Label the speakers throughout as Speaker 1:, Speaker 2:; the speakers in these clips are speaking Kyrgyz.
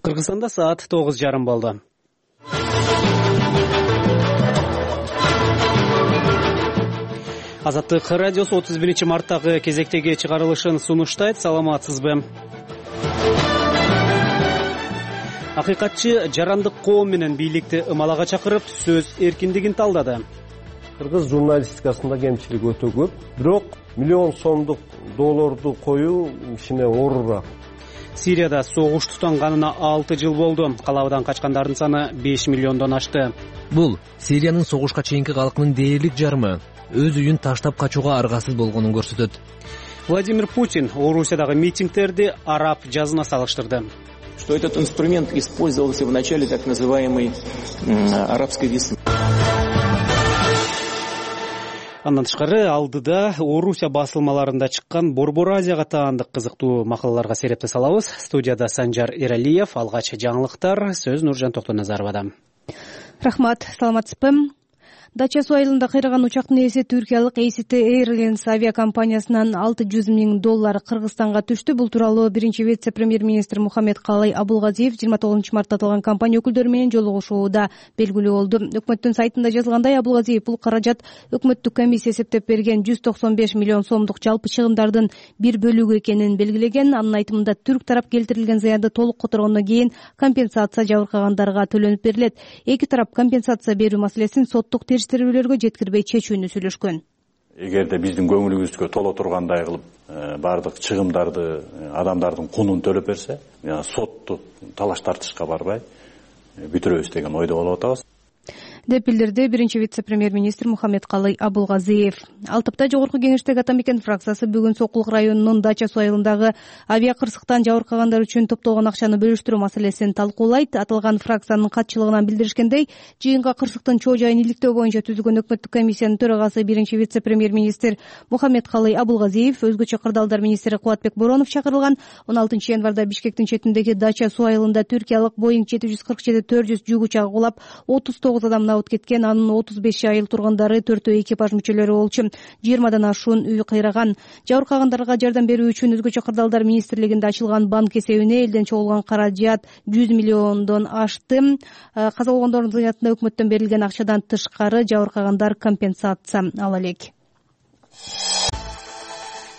Speaker 1: Кыргызстанда саат 9:30 болду. Азаттык радиосу 31-марттагы кезектеги чыгарылышын сунуштайт. Саламатсызбы? Акыйкатчы жарандык коом менен бийликти ымалага чакырып, сөз эркиндигин талдады.
Speaker 2: Кыргыз журналистикасында кемчилик өтө көп, бирок миллион сомдук долларду коюу кичине оорураак.
Speaker 1: Сирияда согуш тутанганына 6 жыл болду. Калабадан качкандардын саны 5 миллиондон ашты.
Speaker 3: Бул Сириянын согушка чейинки калкынын дээрлик жарымы өз үйүн таштап качууга аргасыз болгонун көрсөтөт.
Speaker 1: Владимир Путин Орусиядагы митингдерди араб жазына салыштырды.
Speaker 4: Что этот инструмент использовался в начале так называемой арабской весны.
Speaker 1: Андан тышкары алдыда Орусия басылмаларында чыккан Борбор Азияга таандык кызыктуу макалаларга серепте салабыз. Студияда Санжар Эралиев, алгач жаңылыктар, сөз Нуржан Токтоназаровада.
Speaker 5: Рахмат, саламатсызбы? Дача суу айылында кыйраган учактын ээси түркиялык ACT Airlines авиакомпаниясынан 600 миң доллар Кыргызстанга түштү. Бул тууралуу биринчи вице-премьер-министр Мухаммед Калай Абулгазиев 29-мартта аталган компания өкүлдөрү менен жолугушууда белгилүү болду. Өкмөттүн сайтында жазылгандай, Абулгазиев бул каражат өкмөттүк комиссия эсептеп берген 195 миллион сомдук жалпы чыгымдардын бир бөлүгү экенин белгилеген. Анын айтымында түрк тарап келтирилген заянды толук которгондон кийин компенсация жабыркагандарга төлөнүп берилет. Эки тарап компенсация берүү маселесин соттук териштирүүлөргө жеткирбей чечүүнү сүйлөшкөн.
Speaker 6: Эгерде биздин көңүлүбүзгө толо тургандай кылып баардык чыгымдарды адамдардын кунун төлөп берсе, соттук талаш тартышка барбай бүтүрөбүз деген ойдо болуп атабыз,
Speaker 5: деп билдирди биринчи вице-премьер-министр Мухаммед Калай Абулгазиев. Ал тапта жогорку кеңештеги Ата Мекен фракциясы бүгүн Сокулук районунун Дача суу айылындагы авиакырсыктан жабыркагандар үчүн топтолгон акчаны бөлүштүрүү маселесин талкуулайт. Аталган фракциянын катчылыгынан билдиришкендей, жыйынга кырсыктын чоо жайын иликтөө боюнча түзүлгөн өкмөттүк комиссиянын төрагасы биринчи вице-премьер-министр Мухаммед Калай Абулгазиев, өзгөчө кырдаалдар министри Кубатбек Боронов чакырылган. 16 январда Бишкектин четиндеги Дача суу айылында түркиялык Boeing 747-400 жүк учагы кулап 39 адам кеткен. Анын 35 айыл тургундары, 4 экипаж мүчөлөрү болчу. 20дан ашуун үй кыйраган. Жабыркагандарга жардам берүү үчүн өзгөчө кырдаалдар министрлигинде ачылган банк эсебине элден чогулган каражат 100 миллиондон ашты. Каза болгондордун зыянатына өкмөттөн берилген акчадан тышкары жабыркагандар компенсация ала элек.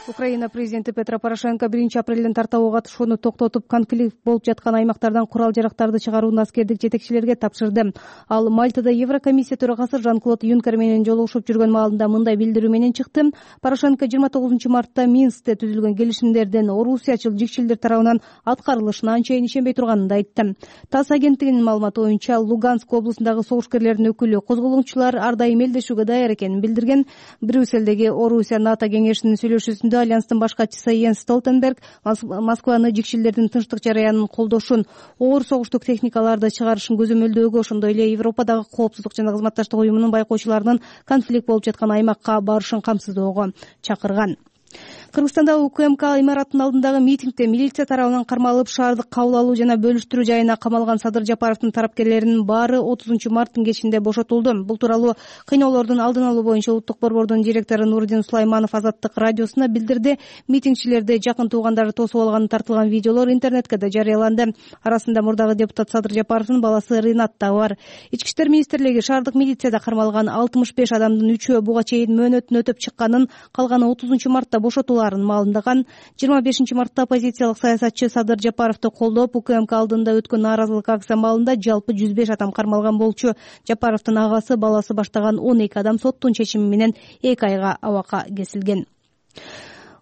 Speaker 5: Украина президенти Петро Порошенко 1-апрелден тартабуу катышууну токтотуп, конфликт болуп жаткан аймактардан курал-жарактарды чыгарууну аскердик жетекчилерге тапшырды. Ал Мальтада Еврокомиссия төрагасы Жан-Клод Юнкер менен жолугушуп жүргөн маалында мындай билдирүү менен чыкты. Порошенко 29-мартта Минскте түзүлгөн келишимдердин орусиячыл жикчилдер тарабынан аткарылышына анчейин ишенбей турганын айтты. ТАСС агенттигинин маалыматы боюнча, Луганск облусундагы согушкерлердин өкүлү козголгончулар ар дайым элдешүүгө даяр экенин билдирген. Брюссельдеги Орусия НАТО кеңешинин сүйлөшүүсүндө Альянстын баш катчысы Йенс Столтенберг Москваны жикчилдердин тынчтык жараянын колдошун, оор согуштук техникаларды чыгарышын көзөмөлдөөгө, ошондой эле Европадагы коопсуздук жана кызматташтык уюмунун байкоочуларынын конфликт болуп жаткан аймакка барышын камсыздоого чакырган. Кыргызстанда УКМК имаратынын алдындагы митингде милиция тарабынан кармалып, шаардык кабыл алуу жана бөлүштүрүү жайына камалган Садыр Жапаровдун тарапкерлеринин баары 30-марттын кечинде бошотулду. Бул тууралуу кыйноолордун алдын алуу боюнча Улуттук борбордун директору Нурдин Сулайманов Азаттык радиосуна билдирди. Митингчилерди жакын туугандары тосуп алганы тартылган видеолор интернетке да жарыяланды. Арасында мурдагы депутат Садыр Жапаровдун баласы Ринат да бар. Ички иштер министрлиги шаардык милицияда кармалган 65 адамдын 3-өө буга чейин мөөнөтүн өтөп чыкканын, калганы 30-мартта бошотулган маалындаган. 25-мартта оппозициялык саясатчы Садыр Жапаровду колдоп, УКМК алдында өткөн нааразылык акция маалында жалпы 105 адам кармалган болчу. Жапаровдун агасы, баласы баштаган 12 адам соттун чечими менен 2 айга абакка кесилген.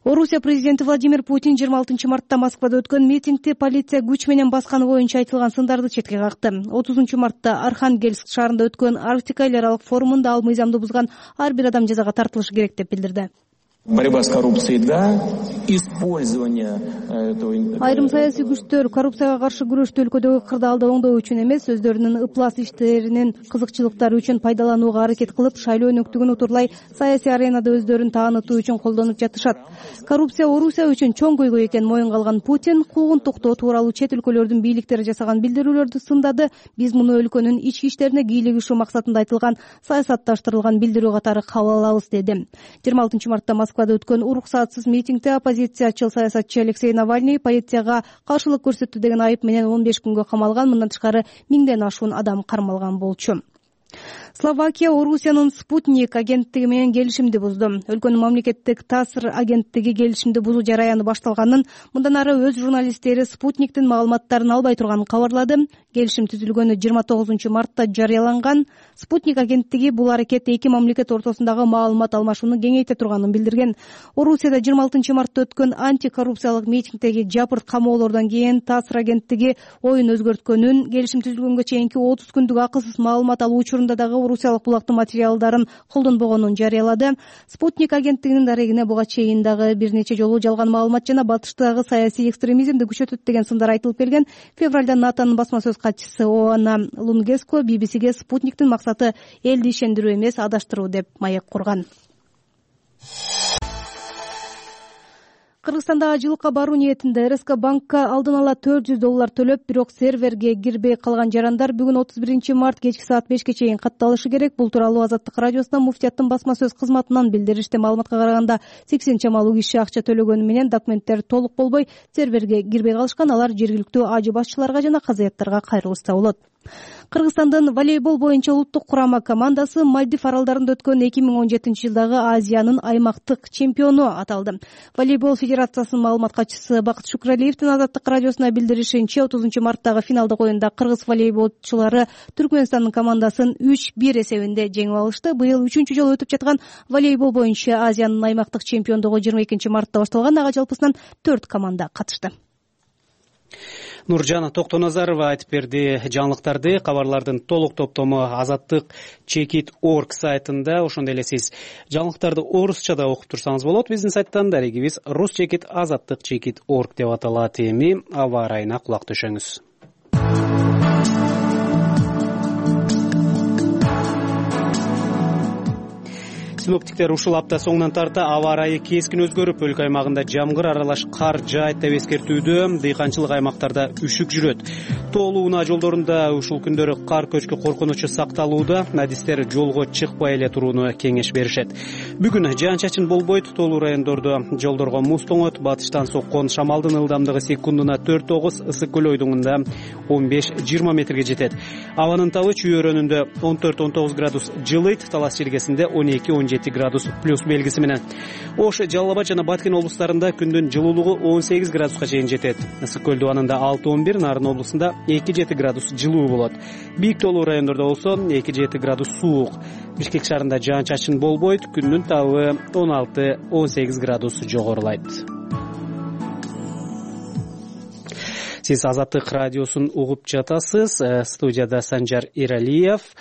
Speaker 5: Орусия президенти Владимир Путин 26-мартта Москвада өткөн митингди полиция күч менен басканы боюнча айтылган сындарды четке какты. 30-мартта Архангельск шаарында өткөн Арктика эл аралык форумунда ал мыйзамды бузган ар бир адам жазага тартылышы керек деп билдирди.
Speaker 4: Борьба с коррупцией, да, использование этого...
Speaker 5: Айрым саясий күчтөр коррупцияга каршы күрөштү өлкөдөгү кырдаалды оңдоо үчүн эмес, өздөрүнүн ыплас иштеринин кызыкчылыктары үчүн пайдаланууга аракет кылып, шайлоо өнөктүгүн утурлай саясий аренада өздөрүн таанытуу үчүн колдонуп жатышат. Коррупция Орусия үчүн чоң көйгөй экенин моюнга алган Путин куугунтуктоо тууралуу чет өлкөлөрдүн бийликтери жасаган билдирүүлөрдү сындады. Биз муну өлкөнүн ички иштерине кийлигишүү максатында айтылган саясатташтырылган билдирүү катары кабыл алабыз, деди. 26-мартта Москвада өткөн уруксатсыз митингде оппозициячыл саясатчы Алексей Навальный полицияга каршылык көрсөттү деген айып менен 15 күнгө камалган. Мындан тышкары 1000ден ашуун адам кармалган болчу. Словакия Орусиянын Спутник агенттиги менен келишимди бузду. Өлкөнүн мамлекеттик ТАСС агенттиги келишимди бузуу жараяны башталганын, мындан ары өз журналисттери Спутниктин маалыматтарын албай турганын кабарлады. Келишим түзүлгөнү 29 мартта жарыяланган. Спутник агенттиги бул аракет эки мамлекет ортосундагы маалымат алмашууну кеңейте турганын билдирген. Орусияда 26 мартта өткөн антикоррупциялык митингдеги жапырт камоолордон кийин ТАСС агенттиги оюн өзгөрткөнүн, келишим түзүлгөнгө чейинки 30 күндүк акысыз маалымат алуу учурунда дагы орусиялык булактын материалдарын колдонбогонун жарыялады. Спутник агенттигинин дарегине буга чейин дагы бир нече жолу жалган маалымат жана батыштагы саясий экстремизмди күчөтөт деген сындар айтылып келген. Февралда НАТОнун басма сөз катчысы Оана Лунгеско BBCге Спутниктин максаты элди ишендирүү эмес, адаштыруу деп маек курган. Кыргызстанда ажылыкка баруу ниетинде РСК банкка алдын ала $400 төлөп, бирок серверге кирбей калган жарандар бүгүн 31 март кечки саат 5ке чейин катталышы керек. Бул тууралуу Азаттык радиосуна муфтияттын басма сөз кызматынан билдиришти. Маалыматка караганда 80 чамалуу киши акча төлөгөнү менен документтер толук болбой серверге кирбей калышкан. Алар жергиликтүү АЖ башчыларга жана казыяттарга кайрылышса болот. Кыргызстандын волейбол боюнча улуттук курама командасы Мальдив аралдарында өткөн 2017 жылдагы Азиянын аймактык чемпиону аталды. Волейбол федерациясынын маалымат катчысы Бакыт Шукралиевдин Азаттык радиосуна билдиришинче, 30 марттагы финалдык оюнда кыргыз волейболчулары Түркмөнстандын командасын 3-1 эсебинде жеңип алышты. Быйыл 3-чү жолу өтүп жаткан волейбол боюнча Азиянын аймактык чемпиондугу 22 мартта башталган. Ага жалпысынан 4 команда катышты.
Speaker 1: Нуржан Токтоназарова айтып берди жаңылыктарды. Кабарлардын толук топтому Азаттык Чекит.org сайтында. Ошондой эле сиз жаңылыктарды орусча да окуп турсаңыз болот. Биздин сайттан дарегибиз Русчекит Азаттык Чекит.org деп аталат. Эми аба ырайына кулак төшөңүз. Синоптиктер ушул апта соңунан тарта аба ырайы кескин өзгөрүп, өлкө аймагында жамгыр аралаш кар жаайт деп эскертүүдө. Дыйканчылык аймактарда үшүк жүрөт. Тоолуу унаа жолдорунда ушул күндөрү кар көчкү коркунучу сакталууда. Адистер жолго чыкпай эле турууну кеңеш беришет. Бүгүн жаан-чачын болбойт. Тоолуу райондордо жолдорго муз тоңот. Батыштан соккон шамалдын ылдамдыгы секундуна 4-9, ысык көл ойдуңунда 15-20 метрге жетет. Абанын табы Чүй өрөөнүндө 14-19 градус жылыйт. Талас Чилгесинде 12-17 градус плюс белгиси менен. Ош, Жалал Абад жана Баткен облустарында күндүн жылуулугу 18 градуска чейин жетет. Ысык көл дубанында 6-11, Нарын облусунда 2-7 градус жылуу болот. Бийик тоолуу райондордо болсо 2-7 градус суук. Бишкек шаарында жаан-чачын болбойт. Күндүн табы 16-18 градус жогорулайт. Сиз Азаттык радиосун угуп жатасыз. Студияда Санжар Эралиев.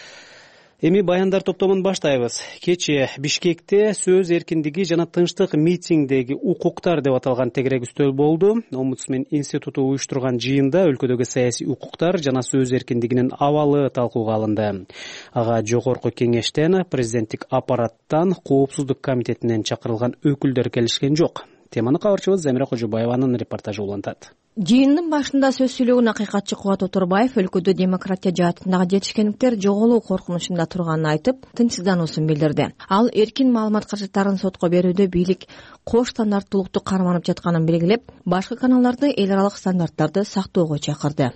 Speaker 1: Эми баяндар топтомун баштайбыз. Кечээ Бишкекте сөз эркиндиги жана тынчтык митингдеги укуктар деп аталган тегерек үстөл болду. Омбудсмен институту уюштурган жыйында өлкөдөгү саясий укуктар жана сөз эркиндигинин абалы талкууга алынды. Ага жогорку кеңештен, президенттик аппараттан, коопсуздук комитетинен чакырылган өкүлдөр келишкен жок. Теманы кабарчыбыз Замира Кожобаеванын репортажы улантат.
Speaker 7: Жыйындын башында сөз сүйлөгөн акыйкатчы Кубат Оторбаев өлкөдө демократия жаатындагы жетишкендиктер жоголуу коркунучунда турганын айтып, тынчсыздануусун билдирди. Ал эркин маалымат каражаттарын сотко берүүдө бийлик кош стандарттуулукту карманып жатканын белгилеп, башкы каналдарды эл аралык стандарттарды сактоого чакырды.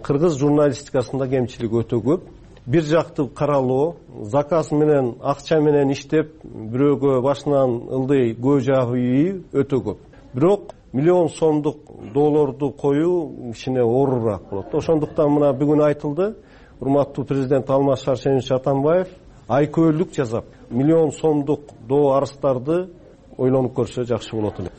Speaker 2: Кыргыз журналистикасында кемчилик өтө көп. Бир жактуу каралоо, заказ менен, акча менен иштеп, бирөөгө башынан ылдый көз жагуу өтө көп. Бирок миллион сомдук долларду коюу кичине оорураак болот. Ошондуктан мына бүгүн айтылды, урматтуу президент Алмаз Шаршенович Атамбаев айкөөлүк жасап, миллион сомдук доо арыздарды ойлонуп көрсө жакшы болот эле.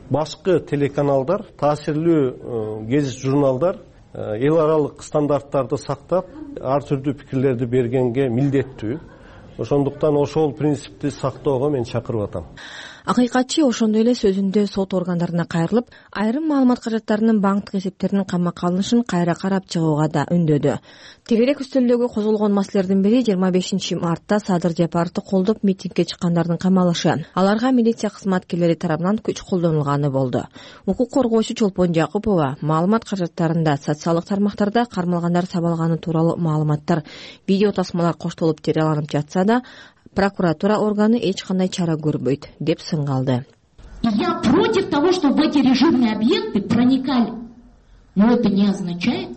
Speaker 2: Башкы телеканалдар, таасирлүү гезит журналдар эл аралык стандарттарды сактап, ар түрдүү пикирлерди бергенге милдеттүү. Ошондуктан ошол принципти сактоого мен чакырып атам.
Speaker 7: Акыйкатчы ошондой эле сөзүндө сот органдарына кайрылып, айрым маалымат каражаттарынын банктык эсептеринин камакка алынышын кайра карап чыгууга да үндөдү. Тегерек үстөлдөгү козголгон маселелердин бири 25 мартта Садыр Жапаровду колдоп митингге чыккандардын камалышы. Аларга милиция кызматкерлери тарабынан күч колдонулганы болду. Укук коргоочу Чолпон Жакупова маалымат каражаттарында социалдык тармактарда кармалгандар сабалганы тууралуу маалыматтар, видео тасмалар коштолуп жарыяланып жатса да, прокуратура органы эч кандай чара көрбөйт деп сынгалды.
Speaker 8: Я против того, чтобы в эти режимные объекты проникали. Но это не означает,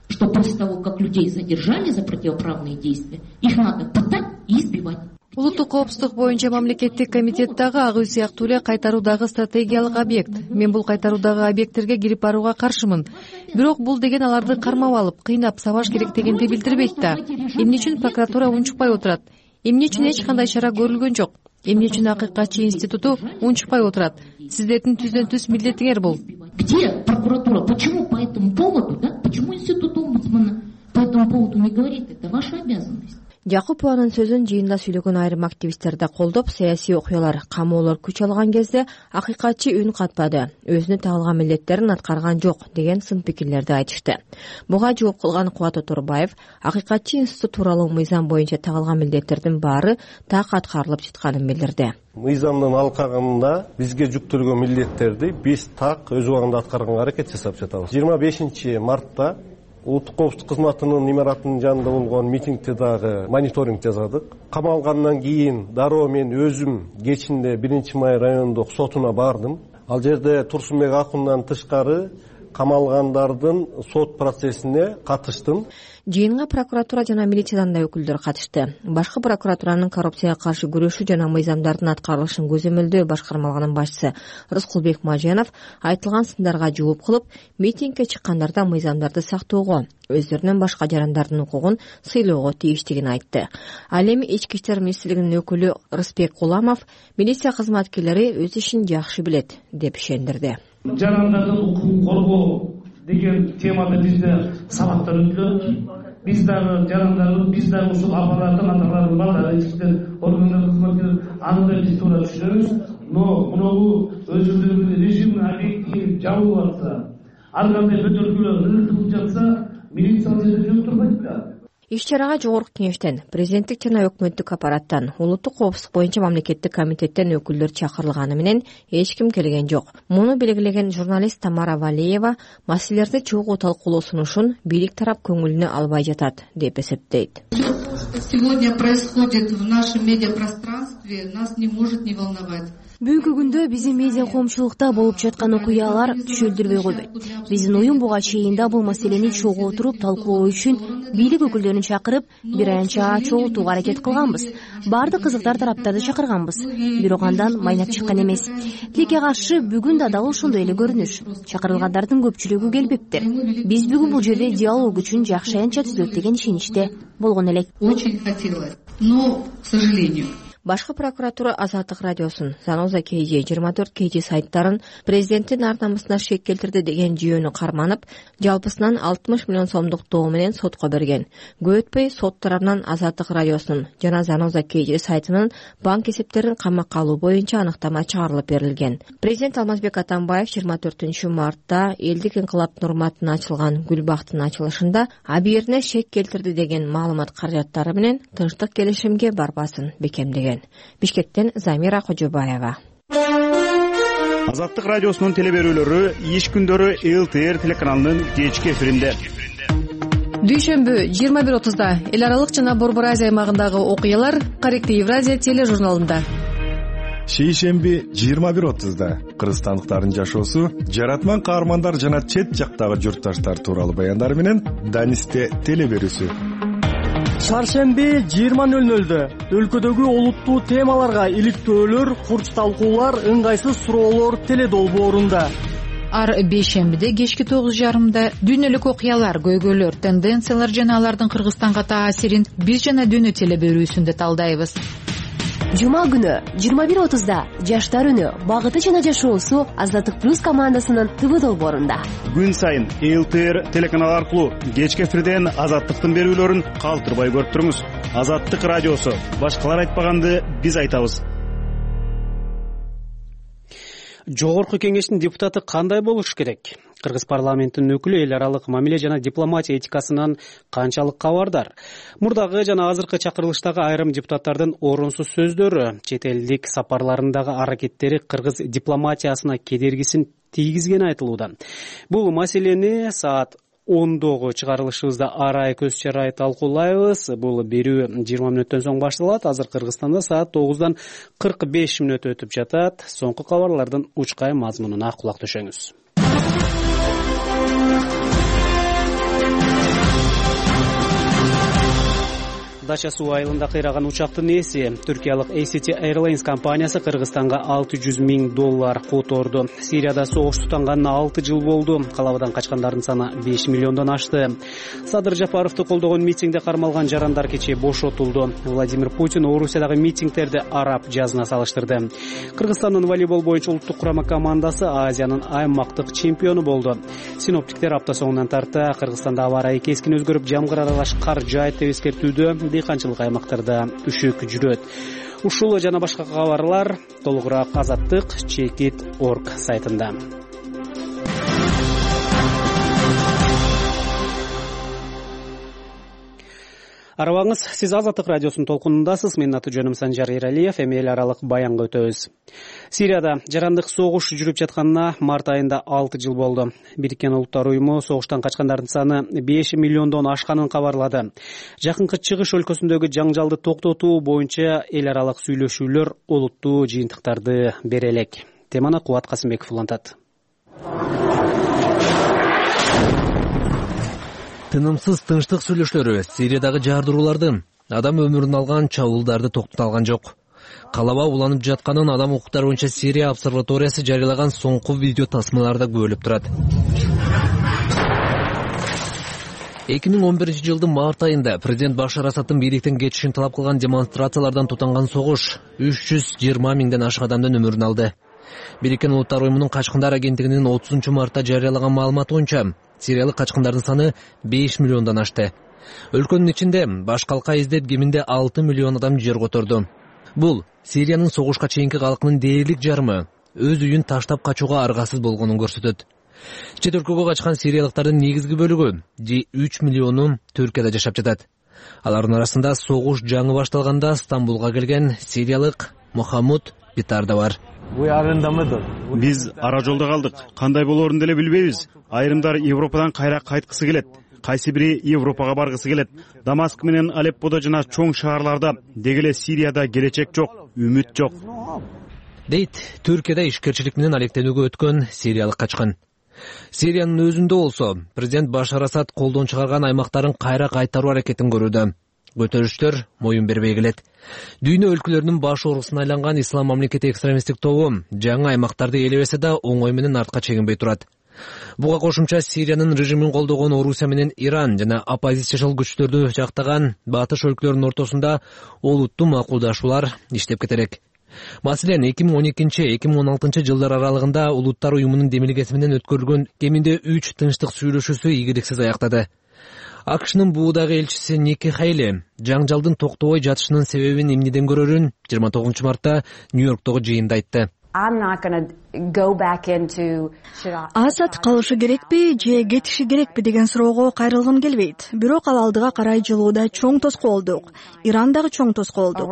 Speaker 8: что после того, как людей задержали за противоправные действия, их надо пытать и избивать.
Speaker 9: Улуттук коопсуздук боюнча мамлекеттик комитет дагы ак үй сыяктуу эле кайтаруу дагы стратегиялык объект. Мен бул кайтаруудагы объекттерге кирип барууга каршымын. Бирок бул деген аларды кармап алып, кыйнап сабаш керек дегенди билдирбейт да. Эмне үчүн прокуратура унчукпай отурат? Эмне үчүн эч кандай чара көрүлгөн жок? Эмне үчүн Акыйкатчы институту унчукпай отурат? Сиздердин түздөн-түз милдетиңер бул.
Speaker 8: Где прокуратура? Почему по этому поводу, да? Почему институт омбудсмана по этому поводу не говорит? Это ваша обязанность.
Speaker 7: Жакупованын сөзүн жыйында сүйлөгөн айрым активисттер да колдоп, саясий окуялар, камоолор күч алган кезде Акыйкатчы үн катпады, өзүнө тагылган милдеттерин аткарган жок деген сын пикирлерди айтышты. Буга жооп кылган Кубат Оторбаев Акыйкатчы институт тууралуу мыйзам боюнча тагылган милдеттердин баары так аткарылып жатканын билдирди.
Speaker 2: Мыйзамдын алкагында бизге жүктөлгөн милдеттерди биз так өз убагында аткарганга аракет жасап жатабыз. 25 мартта Улуттук коопсуздук кызматынын имаратынын жанында болгон митингде дагы мониторинг жасадык. Камалгандан кийин дароо мен өзүм кечинде 1-Май райондук сотуна бардым. Ал жерде Турсунбек Акундан тышкары камалгандардын сот процессине катыштым.
Speaker 7: Жыйынга прокуратура жана милициядан да өкүлдөр катышты. Башкы прокуратуранын коррупцияга каршы күрөшүү жана мыйзамдардын аткарылышын көзөмөлдөө башкармалыгынын башчысы Рыскулбек Маженов айтылган сындарга жооп кылып, митингге чыккандарда мыйзамдарды сактоого, өздөрүнүн башка жарандардын укугун сыйлоого тийиштигин айтты. Ал эми Ички иштер министрлигинин өкүлү Рыспек Куламов милиция кызматкерлери өз ишин жакшы билет деп ишендирди.
Speaker 10: Жарандардын укугун коргоо деген темада бизде сабактар өтүлөт. Биз дагы жарандардын, биз дагы ушул аппараттын аталарын балдары, иштер органдар кызматкерлери аны биз туура түшүнөбүз. Но мынабу өзүлдөрүнүн режимдин объекти жабылып атса, ар кандай көтөркүлөр ыртылып жатса, милиция жерде жок турбайт да.
Speaker 7: Иш-чарага жогорку кеңештен, президенттик жана өкмөттүк аппараттан, улуттук коопсуздук боюнча мамлекеттик комитеттен өкүлдөр чакырылганы менен эч ким келген жок. Муну белгилеген журналист Тамара Валеева маселелерди чогуу талкуулоо сунушун бийлик тарап көңүлүнө албай жатат деп эсептейт.
Speaker 11: Сегодня происходит в нашем медиапространстве, нас не может не волновать.
Speaker 12: Бүгүнкү күндө биздин медиа коомчулукта болуп жаткан окуялар түшүндүрбөй койбойт. Биздин уюм буга чейин да бул маселени чогуу отуруп талкуулоо үчүн бийлик өкүлдөрүн чакырып, бир аянча чогултууга аракет кылганбыз. Баардык кызыктар тараптарды чакырганбыз. Бирок андан майнап чыккан эмес. Тилекке каршы бүгүн да дал ошондой эле көрүнүш. Чакырылгандардын көпчүлүгү келбептир. Биз бүгүн бул жерде диалог үчүн жакшы аянча түзөт деген ишеничте болгон элек.
Speaker 11: Очень хотелось, но, к сожалению.
Speaker 7: Башкы прокуратура Азаттык радиосун, Заноза KG 24 KG сайттарын президенттин ар намысына шек келтирди деген жүйөнү карманып, жалпысынан 60 миллион сомдук доо менен сотко берген. Көп өтпөй сот тарабынан Азаттык радиосунун жана Заноза KG сайтынын банк эсептерин камакка алуу боюнча аныктама чыгарылып берилген. Президент Алмазбек Атамбаев 24 мартта элдик инкылаптын урматына ачылган Гүлбактын ачылышында абийирине шек келтирди деген маалымат каражаттары менен тынчтык келишимге барбасын бекемдеген. Бишкектен Замира Кожобаева.
Speaker 13: Азаттык радиосунун телеберүүлөрү иш күндөрү ЛТР телеканалынын кечки эфиринде.
Speaker 9: Дүйшөмбү 21:30да эл аралык жана Борбор Азия аймагындагы окуялар Корректив Евразия тележурналында.
Speaker 14: Шейшемби 21:30да кыргызстандыктардын жашоосу, жаратман каармандар жана чет жактагы журтташтар тууралуу баяндар менен Данисте телеберүүсү.
Speaker 15: Чаршемби 20:00дө өлкөдөгү олуттуу темаларга иликтөөлөр, курч талкуулар, ыңгайсыз суроолор теледолбоорунда.
Speaker 16: Ар бейшембиде кечки 9:30да дүйнөлүк окуялар, көйгөйлөр, тенденциялар жана алардын Кыргызстанга таасирин биз жана дүйнө телеберүүсүндө талдайбыз.
Speaker 12: Жума күнү 21:30да жаштар үнү, багыты жана жашоосу Азаттык плюс командасынын ТВ долбоорунда.
Speaker 13: Күн сайын ЛТР телеканалы аркылуу кечки эфирден Азаттыктын берүүлөрүн калтырбай көрүп туруңуз. Азаттык радиосу. Башкалар айтпаганды биз айтабыз.
Speaker 1: Жогорку кеңештин депутаты кандай болуш керек? Кыргыз парламентинин өкүлү эл аралык мамиле жана дипломатия этикасынан канчалык кабардар? Мурдагы жана азыркы чакырылыштагы айрым депутаттардын орунсуз сөздөрү, чет элдик сапарларындагы аракеттери кыргыз дипломатиясына кедергисин тийгизгени айтылууда. Бул маселени саат 10 чыгарылышыбызда арай көз чарай талкуулайбыз. Бул берүү 20 мүнөттөн соң башталат. Азыр Кыргызстанда саат 9-дан 45 мүнөт өтүп жатат. Соңку кабарлардын учкай мазмунуна кулак төшөңүз. Дача суу айылында кыйраган учактын ээси Түркиялык ACT Airlines компаниясы Кыргызстанга $600 000 которду. Сирияда согуш тутанганына 6 жыл болду. Калабадан качкандардын саны 5 миллиондон ашты. Садыр Жапаровду колдогон митингде кармалган жарандар кечээ бошотулду. Владимир Путин Орусиядагы митингтерди араб жазына салыштырды. Кыргызстандын волейбол боюнча улуттук курама командасы Азиянын аймактык чемпиону болду. Синоптиктер апта соңунан тарта Кыргызстанда аба ырайы кескин өзгөрүп, жамгыр аралаш кар жаайт деп эскертүүдө. Дыйканчылык аймактарда үшөк жүрөт. Ушул жана башка кабарлар толугураак Азаттык Чекит.org сайтында. Арабаңыз, сиз Азаттык радиосунун толкунундасыз. Менин аты жөнүм Санжар Эралиев. Эми эл аралык баянга өтөбүз. Сирияда жарандык согуш жүрүп жатканына март айында 6 жыл болду. Бириккен Улуттар уюму согуштан качкандардын саны 5 миллиондон ашканын кабарлады. Жакынкы чыгыш өлкөсүндөгү жаңжалды токтотуу боюнча эл аралык сүйлөшүүлөр олуттуу жыйынтыктарды бере элек. Теманы Кубат Касымбеков улантат.
Speaker 3: Тынымсыз тынчтык сүйлөшүүлөрү Сириядагы жардырууларды, адам өмүрүн алган чабуулдарды токтото алган жок. Калаба уланып жатканын адам укуктары боюнча Сирия обсерваториясы жарыялаган соңку видео тасмаларда көрүлүп турат. 2011 жылдын март айында президент Башар Асадтын бийликтен кетишин талап кылган демонстрациялардан тутанган согуш 320 миңден ашык адамдын өмүрүн алды. Бириккен Улуттар уюмунун качкындар агенттигинин 30 мартта жарыялаган маалыматы боюнча сириялык качкындардын саны 5 миллиондон ашты. Өлкөнүн ичинде баш калка издеп кеминде 6 миллион адам жер которду. Бул Сириянын согушка чейинки калкынын дээрлик жарымы өз үйүн таштап качууга аргасыз болгонун көрсөтөт. Чет өлкөгө качкан сириялыктардын негизги бөлүгү 3 миллиону Түркияда жашап жатат. Алардын арасында согуш жаңы башталганда Стамбулга келген сириялык Мухаммуд Битар да бар.
Speaker 13: Биз ара жолдо калдык. Кандай болоорун деле билбейбиз. Айрымдар Европадан кайра кайткысы келет. Кайсы бири Европага баргысы келет. Дамаск менен Алепподо жана чоң шаарларда, деги эле Сирияда келечек жок, үмүт жок.
Speaker 3: Дейт Түркияда ишкерчилик менен алектенүүгө өткөн сириялык качкан. Сириянын өзүндө болсо, президент Башар Асад колдон чыгарган аймактарын кайра кайтаруу аракетин көрүүдө. Көтөрүштөр моюн бербей келет. Дүйнө өлкөлөрүнүн баш оорусуна айланган Ислам мамлекети экстремисттик тобу жаңы аймактарды ээлебесе да оңой менен артка чегинбей турат. Буга кошумча Сириянын режимин колдогон Орусия менен Иран жана оппозициячыл күчтөрдү жактаган батыш өлкөлөрүнүн ортосунда олуттуу макулдашуулар иштеп кетерек. Маселен, 2012-2016 жылдар аралыгында Улуттар уюмунун демилгеси менен өткөрүлгөн кеминде 3 тынчтык сүйлөшүүсү ийгиликсиз аяктады. АКШнын буудагы элчиси Ники Хейли жаңжалдын токтобой жатышынын себебин эмнеден көрөрүн 29 мартта Нью-Йорктогу жыйында айтты.
Speaker 17: Асад калышы керекпи же кетиши керекпи деген суроого кайрылгым келбейт. Бирок ал алдыга карай жылууда чоң тоскоолдук. Иран дагы чоң тоскоолдук.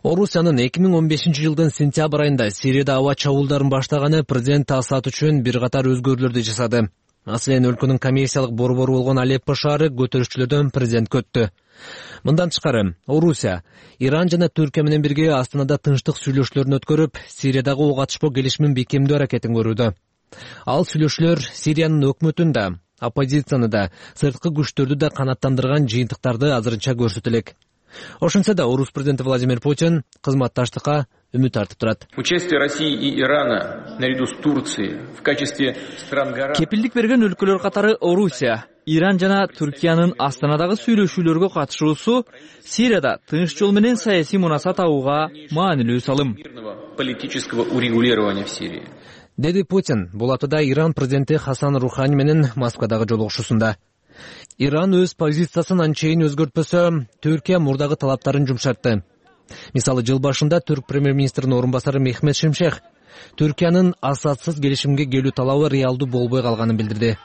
Speaker 3: Орусиянын 2015 жылдын сентябрь айында Сирияда аба чабуулдарын баштаганы президент Асад үчүн бир катар өзгөрүүлөрдү жасады. Маселен, өлкөнүн коммерциялык борбору болгон Алеппо шаары көтөрүшчүлөрдөн президентке өттү. Мындан тышкары, Орусия, Иран жана Түркия менен бирге Астанада тынчтык сүйлөшүүлөрүн өткөрүп, Сириядагы ок атышпоо келишимин бекемдөө аракетин көрүүдө. Ал сүйлөшүүлөр Сириянын өкмөтүн да, оппозицияны да, сырткы күчтөрдү да канааттандырган жыйынтыктарды азырынча көрсөтө элек. Ошентсе да Орус президенти Владимир Путин кызматташтыкка үмүт артып турат.
Speaker 18: Участие России и Ирана наряду с Турцией в качестве стран гарантов.
Speaker 19: Кепилдик берген өлкөлөр катары Орусия, Иран жана Түркиянын Астанадагы сүйлөшүүлөргө катышуусу Сирияда тынч жол менен саясий мунаса табууга маанилүү салым.
Speaker 18: Политического урегулирования в Сирии.
Speaker 3: Деди Путин бул аптада Иран президенти Хасан Рухани менен Москвадагы жолугушуусунда. Иран өз позициясын анчейин өзгөртпөсө, Түркия мурдагы талаптарын жумшартты. Мисалы, жыл башында түрк премьер-министринин орун басары Мехмет Шимшех Түркиянын Асадсыз келишимге келүү талабы реалдуу болбой калганын билдирди.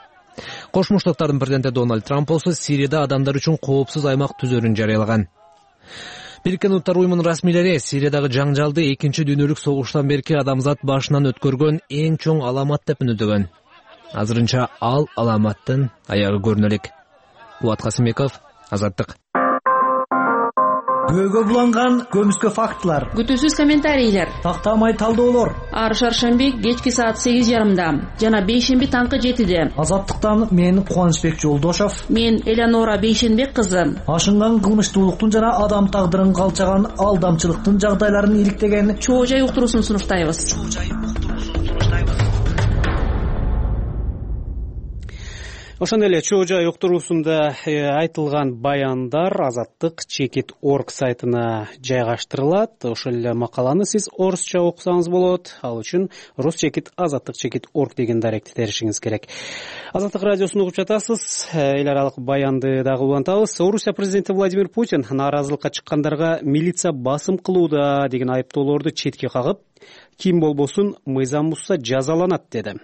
Speaker 3: Кошмо Штаттардын президенти Дональд Трамп болсо Сирияда адамдар үчүн коопсуз аймак түзөрүн жарыялаган. Бириккен Улуттар уюмунун расмийлери Сириядагы жаңжалды экинчи дүйнөлүк согуштан берки адамзат башынан өткөргөн эң чоң аламат деп мүнөдөгөн. азырынча ал аламаттын аягы көрүнө элек. Кубат Касымбеков, Азаттык.
Speaker 15: Көйгө буланган көмүскө фактылар,
Speaker 20: күтүүсүз комментарийлер,
Speaker 15: тактамай талдоолор.
Speaker 20: Ар шаршемби кечки саат 8:30 жана бейшемби таңкы 7:00.
Speaker 15: Азаттыктан мен Кубанычбек Жолдошов,
Speaker 20: мен Элеонора Бейшенбек кызы.
Speaker 15: Ашынган кылмыштуулуктун жана адам тагдырын калчаган алдамчылыктын жагдайларын иликтеген
Speaker 20: чоо жай уктуруусун сунуштайбыз.
Speaker 1: Ошондой эле чоо жай уктуруусунда айтылган баяндар Азаттык Чекит.орг сайтына жайгаштырылат. Ошол эле макаланы сиз орусча окусаңыз болот. Ал үчүн Русчекит Азаттык Чекит.орг деген даректи теришиңиз керек. Азаттык радиосун угуп жатасыз. Эл аралык баянды дагы улантабыз. Орусия президенти Владимир Путин нааразылыкка чыккандарга милиция басым кылууда деген айыптоолорду четке кагып, ким болбосун мыйзам бузса жазаланат деди.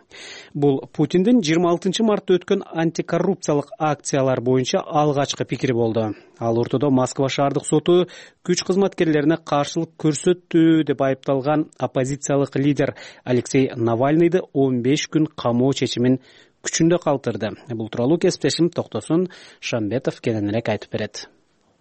Speaker 1: Бул Путиндин 26 мартта өткөн антикоррупциялык акциялар боюнча алгачкы пикири болду. Ал ортодо Москва шаардык соту күч кызматкерлерине каршылык көрсөттү деп айыпталган оппозициялык лидер Алексей Навальныйды 15 күн камоо чечимин күчүндө калтырды. Бул тууралуу кесиптешим Токтосун Шамбетов кененирээк айтып берет.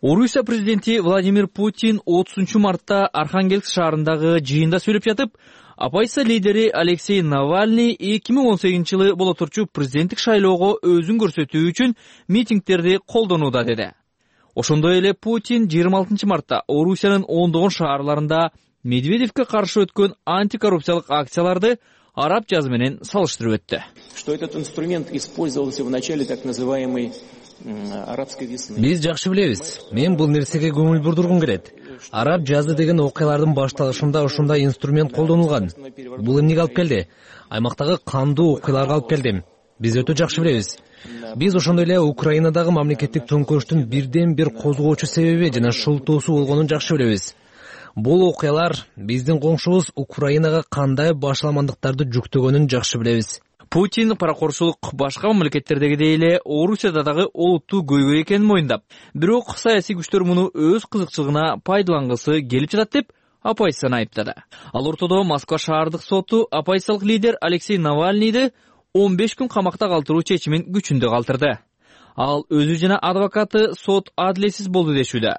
Speaker 19: Орусия президенти Владимир Путин 30 мартта Архангельск шаарындагы жыйында сүйлөп жатып, оппозиция лидери Алексей Навальный 2018-жылы боло турчу президенттик шайлоого өзүн көрсөтүү үчүн митингдерди колдонууда деди. Ошондой эле Путин 26 мартта Орусиянын ондогон шаарларында Медведевке каршы өткөн антикоррупциялык акцияларды араб жазы менен салыштырып өттү.
Speaker 4: Что этот инструмент использовался в начале так называемой арабской весны.
Speaker 3: Биз жакшы билебиз. Мен бул нерсеге көңүл бурдургум келет. Араб жазы деген окуялардын башталышында ушундай инструмент колдонулган. Бул эмнеге алып келди? Аймактагы кандуу окуяларга алып келди. Биз өтө жакшы билебиз. Биз ошондой эле Украинадагы мамлекеттик төңкөрүштүн бирден бир козгоочу себеби жана шылтоосу болгонун жакшы билебиз. Бул окуялар биздин коңшубуз Украинага кандай башаламандыктарды жүктөгөнүн жакшы билебиз.
Speaker 19: Путин паракорчулук башка мамлекеттердегидей эле Орусияда дагы олуттуу көйгөй экенин моюндап, бирок саясий күчтөр муну өз кызыкчылыгына пайдалангысы келип жатат деп оппозицияны айыптады. Ал ортодо Москва шаардык соту оппозициялык лидер Алексей Навальныйды 15 күн камакта калтыруу чечимин күчүндө калтырды. Ал өзү жана адвокаты сот адилетсиз болду дешүүдө.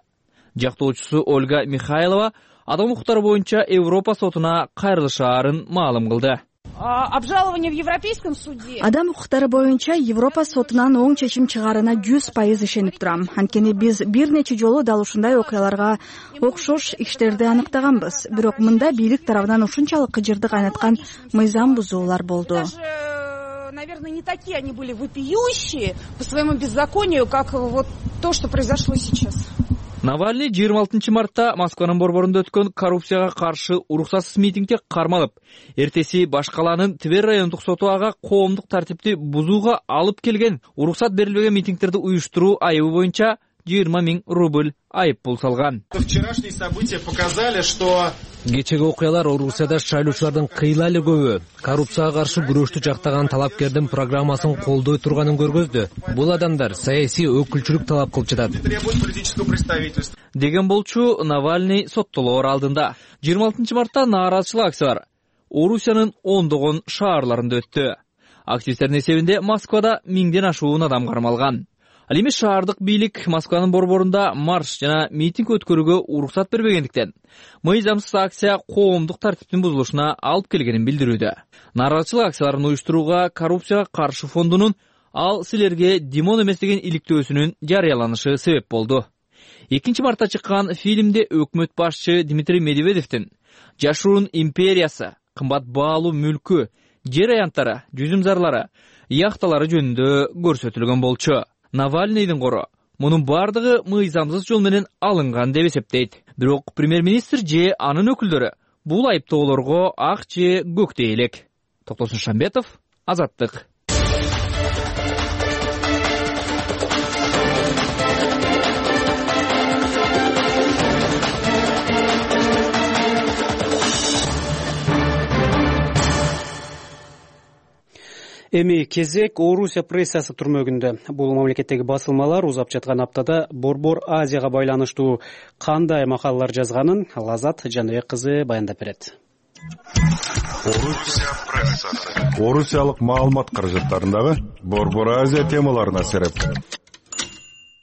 Speaker 19: Жактоочусу Ольга Михайлова адам укуктары боюнча Европа сотуна кайрылышаарын маалым кылды.
Speaker 21: Обжалование в Европейском суде.
Speaker 17: Адам укуктары боюнча Европа сотунан оң чечим чыгаарына 100% ишенип турам. Анткени биз бир нече жолу дал ушундай окуяларга окшош иштерди аныктаганбыз. Бирок мында бийлик тарабынан ушунчалык кыжырды кайнаткан мыйзам бузуулар болду.
Speaker 21: Наверное, не такие они были вопиющие по своему беззаконию, как вот то, что произошло сейчас.
Speaker 19: Навальный 26 мартта Москванын борборунда өткөн коррупцияга каршы уруксатсыз митингге кармалып, эртеси Башкаланын Тver райондук соту ага коомдук тартипти бузууга алып келген уруксат берилбеген митингдерди уюштуруу айыбы боюнча 20 000 рубль айып пул салган.
Speaker 22: Вчерашние события показали, что
Speaker 3: кечеги окуялар Орусияда шайлоочулардын кыйла эле көбү коррупцияга каршы күрөштү жактаган талапкердин программасын колдой турганын көргөздү. Бул адамдар саясий өкүлчүлүк талап кылып жатат
Speaker 19: деген болчу Навальный соттолоор алдында. 26 мартта нааразычылык акциялар Орусиянын ондогон шаарларында өттү. Активисттердин эсебинде Москвада 1000ден ашуун адам кармалган. Ал эми шаардык бийлик Москванын борборунда марш жана митинг өткөрүүгө уруксат бербегендиктен мыйзамсыз акция коомдук тартиптин бузулушуна алып келгенин билдирүүдө. Нааразычылык акцияларын уюштурууга коррупцияга каршы фондунун ал силерге Димон эмес деген иликтөөсүнүн жарыяланышы себеп болду. 2 мартта чыккан фильмде өкмөт башчы Дмитрий Медведевдин жашуун империясы, кымбат баалуу мүлкү, жер аянттары, жүзүмзарлары, яхталары жөнүндө көрсөтүлгөн болчу. Навальныйдын кору мунун бардыгы мыйзамсыз жол менен алынган деп эсептейт. Бирок премьер-министр же анын өкүлдөрү бул айыптоолорго ак же көктөй элек. Токтосун Шамбетов, Азаттык.
Speaker 1: Эми кезек Орусия прессасы түрмөгүндө. Бул мамлекеттеги басылмалар узап жаткан аптада Борбор Азияга байланыштуу кандай макалалар жазганын Лазат Жаныбек кызы баяндап берет.
Speaker 14: Орусия прессасы. Орусиялык маалымат каражаттарындагы Борбор Азия темаларына сереп.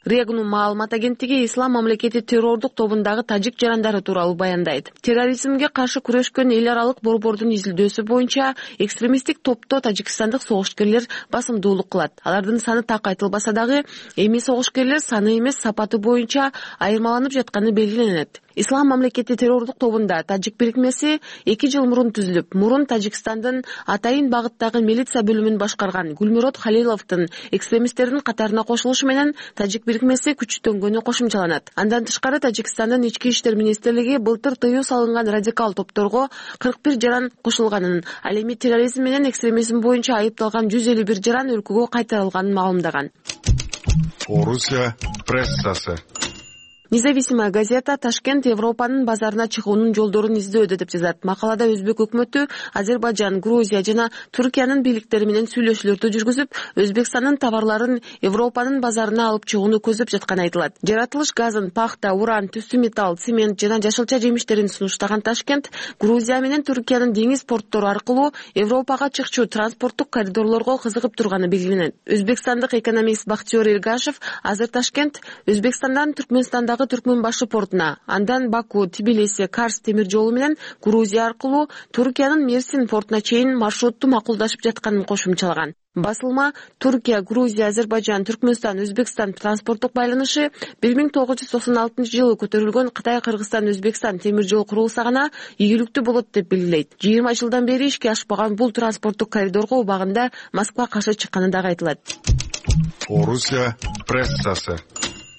Speaker 20: Регну маалымат агенттиги Ислам мамлекети террордук тобундагы тажик жарандары тууралуу баяндайт. Терроризмге каршы күрөшкөн эл аралык борбордун изилдөөсү боюнча экстремисттик топто тажикстандык согушкерлер басымдуулук кылат. Алардын саны так айтылбаса дагы, эми согушкерлер саны эмес сапаты боюнча айырмаланып жатканы белгиленет. Ислам мамлекети террордук тобунда тажик бирикмеси 2 жыл мурун түзүлүп, мурун Тажикстандын Атайын багыттагы милиция бөлүмүн башкарган Гулмирот Халиловдун экстремисттердин катарына кошулушу менен тажик бирикмеси күчтөнгөнү кошумчаланат. Андан тышкары Тажикстандын ички иштер министрлиги былтыр тыюу салынган радикал топторго 41 жаран кошулганын, ал эми терроризм менен экстремизм боюнча айыпталган 151 жаран өлкөгө кайтарылганын маалымдаган.
Speaker 14: Орусия прессасы.
Speaker 20: Независимая газета Ташкент Европанын базарына чыгуунун жолдорун издөөдө деп жазат. Макалада Өзбек өкмөтү Азербайжан, Грузия жана Түркиянын бийликтери менен сүйлөшүүлөрдү жүргүзүп, Өзбекстандын товарларын Европанын базарына алып чыгууну көздөп жатканы айтылат. Жаратылыш газын, пахта, уран, түстүү металл, цемент жана жашылча жемиштерин сунуштаган Ташкент Грузия менен Түркиянын деңиз порттору аркылуу Европага чыкчу транспорттук коридорлорго кызыгып турганы белгиленет. Өзбекстандык экономист Бактиёр Эргашев азыр Ташкент Өзбекстандан Түркмөнстандагы Түркмөнбашы портуна, андан Баку, Тбилиси, Карс темир жолу менен Грузия аркылуу Түркиянын Мерсин портуна чейин маршрутту макулдашып жатканын кошумчалаган. Басылма Түркия, Грузия, Азербайжан, Түркмөнстан, Өзбекстан транспорттук байланышы 1996-жылы көтөрүлгөн Кытай-Кыргызстан, Өзбекстан темир жол курулса гана ийгиликтүү болот деп белгилейт. 20 жылдан бери ишке ашпаган бул транспорттук коридорго убагында Москва каршы чыкканы дагы айтылат.
Speaker 14: Орусия прессасы.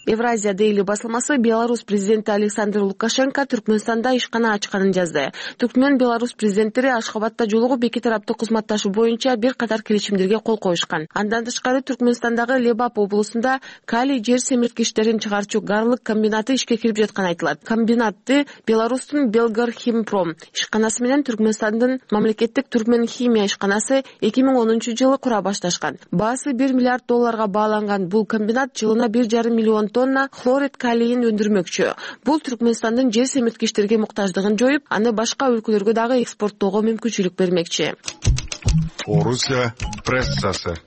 Speaker 20: Евразия Дейли басылмасы Беларусь президенти Александр Лукашенко Түркмөнстанда ишкана ачканын жазды. Түркмөн Беларусь президенттери Ашхабадда жолугуп эки тараптуу кызматташуу боюнча бир катар келишимдерге кол коюшкан. Андан тышкары Түркмөнстандагы Лебап облусунда калий жер семирткичтерин чыгарчу Гарлык комбинаты ишке кирип жатканы айтылат. Комбинатты Беларустун Белгархимпром ишканасы менен Түркмөнстандын мамлекеттик Түркмөн химия ишканасы 2010-жылы кура башташкан. Баасы $1 миллиард бааланган бул комбинат жылына 1,5 миллион тонна хлорид калийин өндүрмөкчү. Бул Түркмөнстандын жер семирткичтерге муктаждыгын жоюп, аны башка өлкөлөргө дагы экспорттоого мүмкүнчүлүк бермекчи.
Speaker 14: Орусия прессасы.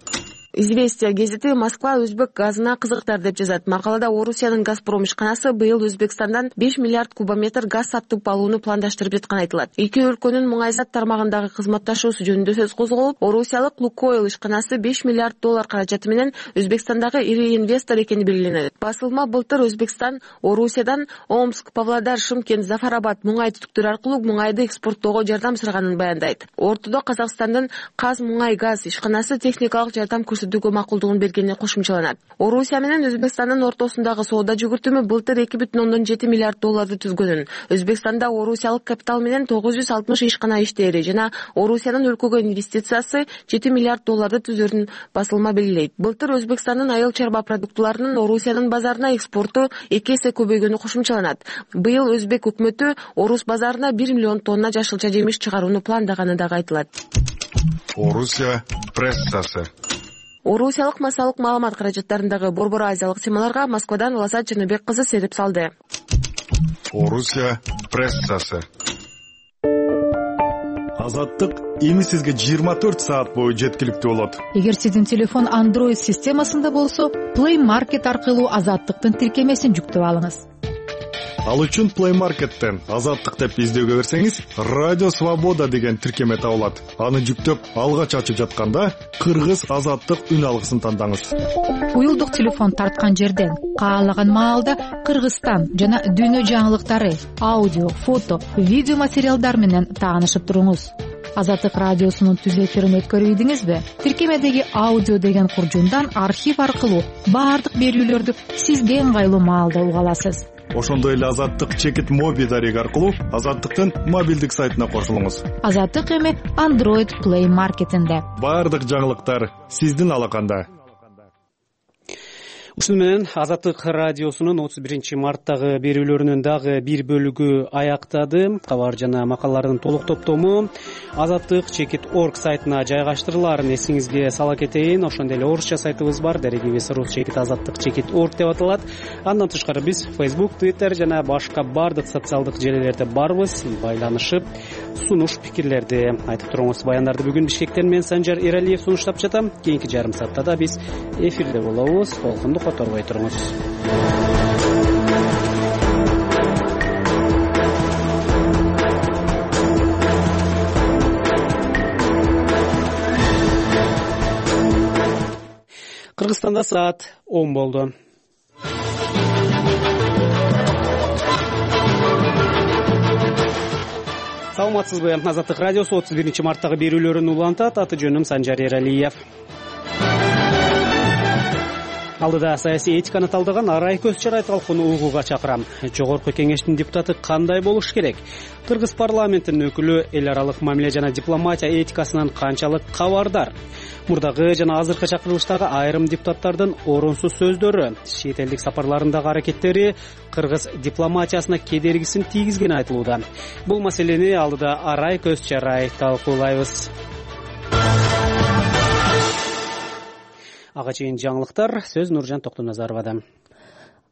Speaker 20: Известия газети Москва өзбек газына кызыктар деп жазат. Макалада Орусиянын Газпром ишканасы быйыл Өзбекстандан 5 миллиард кубометр газ сатып алууну пландаштырып жатканы айтылат. Эки өлкөнүн муңайзат тармагындагы кызматташуусу жөнүндө сөз козголуп, Орусиялык Лукойл ишканасы $5 миллиард каражаты менен Өзбекстандагы ири инвестор экени белгиленет. Басылма былтыр Өзбекстан Орусиядан Омск, Павлодар, Шымкент, Зафарабад муңай түтүктөр аркылуу муңайды экспорттоого жардам сураганын баяндайт. Ортодо Казакстандын Каз муңай газ ишканасы техникалык жардам көрсөтүүгө макулдугун бергени кошумчаланат. Орусия менен Өзбекстандын ортосундагы соода жүгүртүмү былтыр $2,7 миллиард түзгөнүн. Өзбекстанда орусиялык капитал менен 960 ишкана иштери жана Орусиянын өлкөгө инвестициясы $7 миллиард түзөрүн басылма белгилейт. Былтыр Өзбекстандын айыл чарба продуктуларынын Орусиянын базарына экспорту 2 эсе көбөйгөнү кошумчаланат. Быйыл Өзбек өкмөтү Орус базарына 1 миллион тонна жашылча жемиш чыгарууну пландаганы дагы айтылат.
Speaker 14: Орусия прессасы.
Speaker 20: Орусиялык массалык маалымат каражаттарындагы Борбор Азиялык темаларга Москвадан Лазат Жаныбек кызы серип салды.
Speaker 14: Орусия прессасы. Азаттык эми сизге 24 саат бою жеткиликтүү болот.
Speaker 16: Эгер сиздин телефон Android системасында болсо, Play Market аркылуу Азаттыктын тиркемесин жүктөп алыңыз.
Speaker 14: Ал үчүн Play Market'тен Азаттык деп издөөгө берсеңиз, Радио Свобода деген тиркеме табылат. Аны жүктөп алгач ачып жатканда Кыргыз Азаттык үн алгысын тандаңыз.
Speaker 16: Уюлдук телефон тарткан жерден каалаган маалда Кыргызстан жана дүйнө жаңылыктары, аудио, фото, видео материалдар менен таанышып туруңуз. Азаттык радиосунун түзөтүлөрүн өткөрүбүдүңүзбү? Тиркемедеги аудио деген куржундан архив аркылуу баардык берүүлөрдү сизге ыңгайлуу маалда уга аласыз.
Speaker 14: Ошондой эле Азаттык чекит моби дареги аркылуу Азаттыктын мобилдик сайтына кошулуңуз.
Speaker 16: Азаттык эми Android Play Market'инде.
Speaker 14: Баардык жаңылыктар сиздин алаканда.
Speaker 1: Ушуну менен Азаттык радиосунун 31 марттагы берүүлөрүнүн дагы бир бөлүгү аяктады. Кабар жана макалалардын толук топтому Azattyk.org сайтына жайгаштырыларын эсиңизге сала кетейин. Ошондой эле орусча сайтыбыз бар. Дерегибиз rus.azattyk.org деп аталат. Андан тышкары биз Facebook, Twitter жана башка бардык социалдык желилерде барбыз. Байланышып, сунуш пикирлерди айтып туруңуз. Баяндарды бүгүн Бишкектен мен Санжар Эралиев сунуштап жатам. Кийинки жарым саатта да биз эфирде болобуз. Толкунду которбой туруңуз. Кыргызстанда саат 10 болду. Саламатсызбы? Азаттык радиосу 31 марттагы берүүлөрүн улантат. Аты жөнүм Санжар Эралиев. Алдыда саясий этиканы талдаган Арай Көзчарай талкууну угууга чакырам. Жогорку кеңештин депутаты кандай болуш керек? Кыргыз парламентинин өкүлү эл аралык мамиле жана дипломатия этикасынан канчалык кабардар? Мурдагы жана азыркы чакырылыштагы айрым депутаттардын орунсуз сөздөрү, чет элдик сапарларындагы аракеттери кыргыз дипломатиясына кедергисин тийгизгени айтылууда. Бул маселени алдыда Арай Көзчарай талкуулайбыз. Ага чейин жаңылыктар. Сөз Нуржан Токтоназаровада.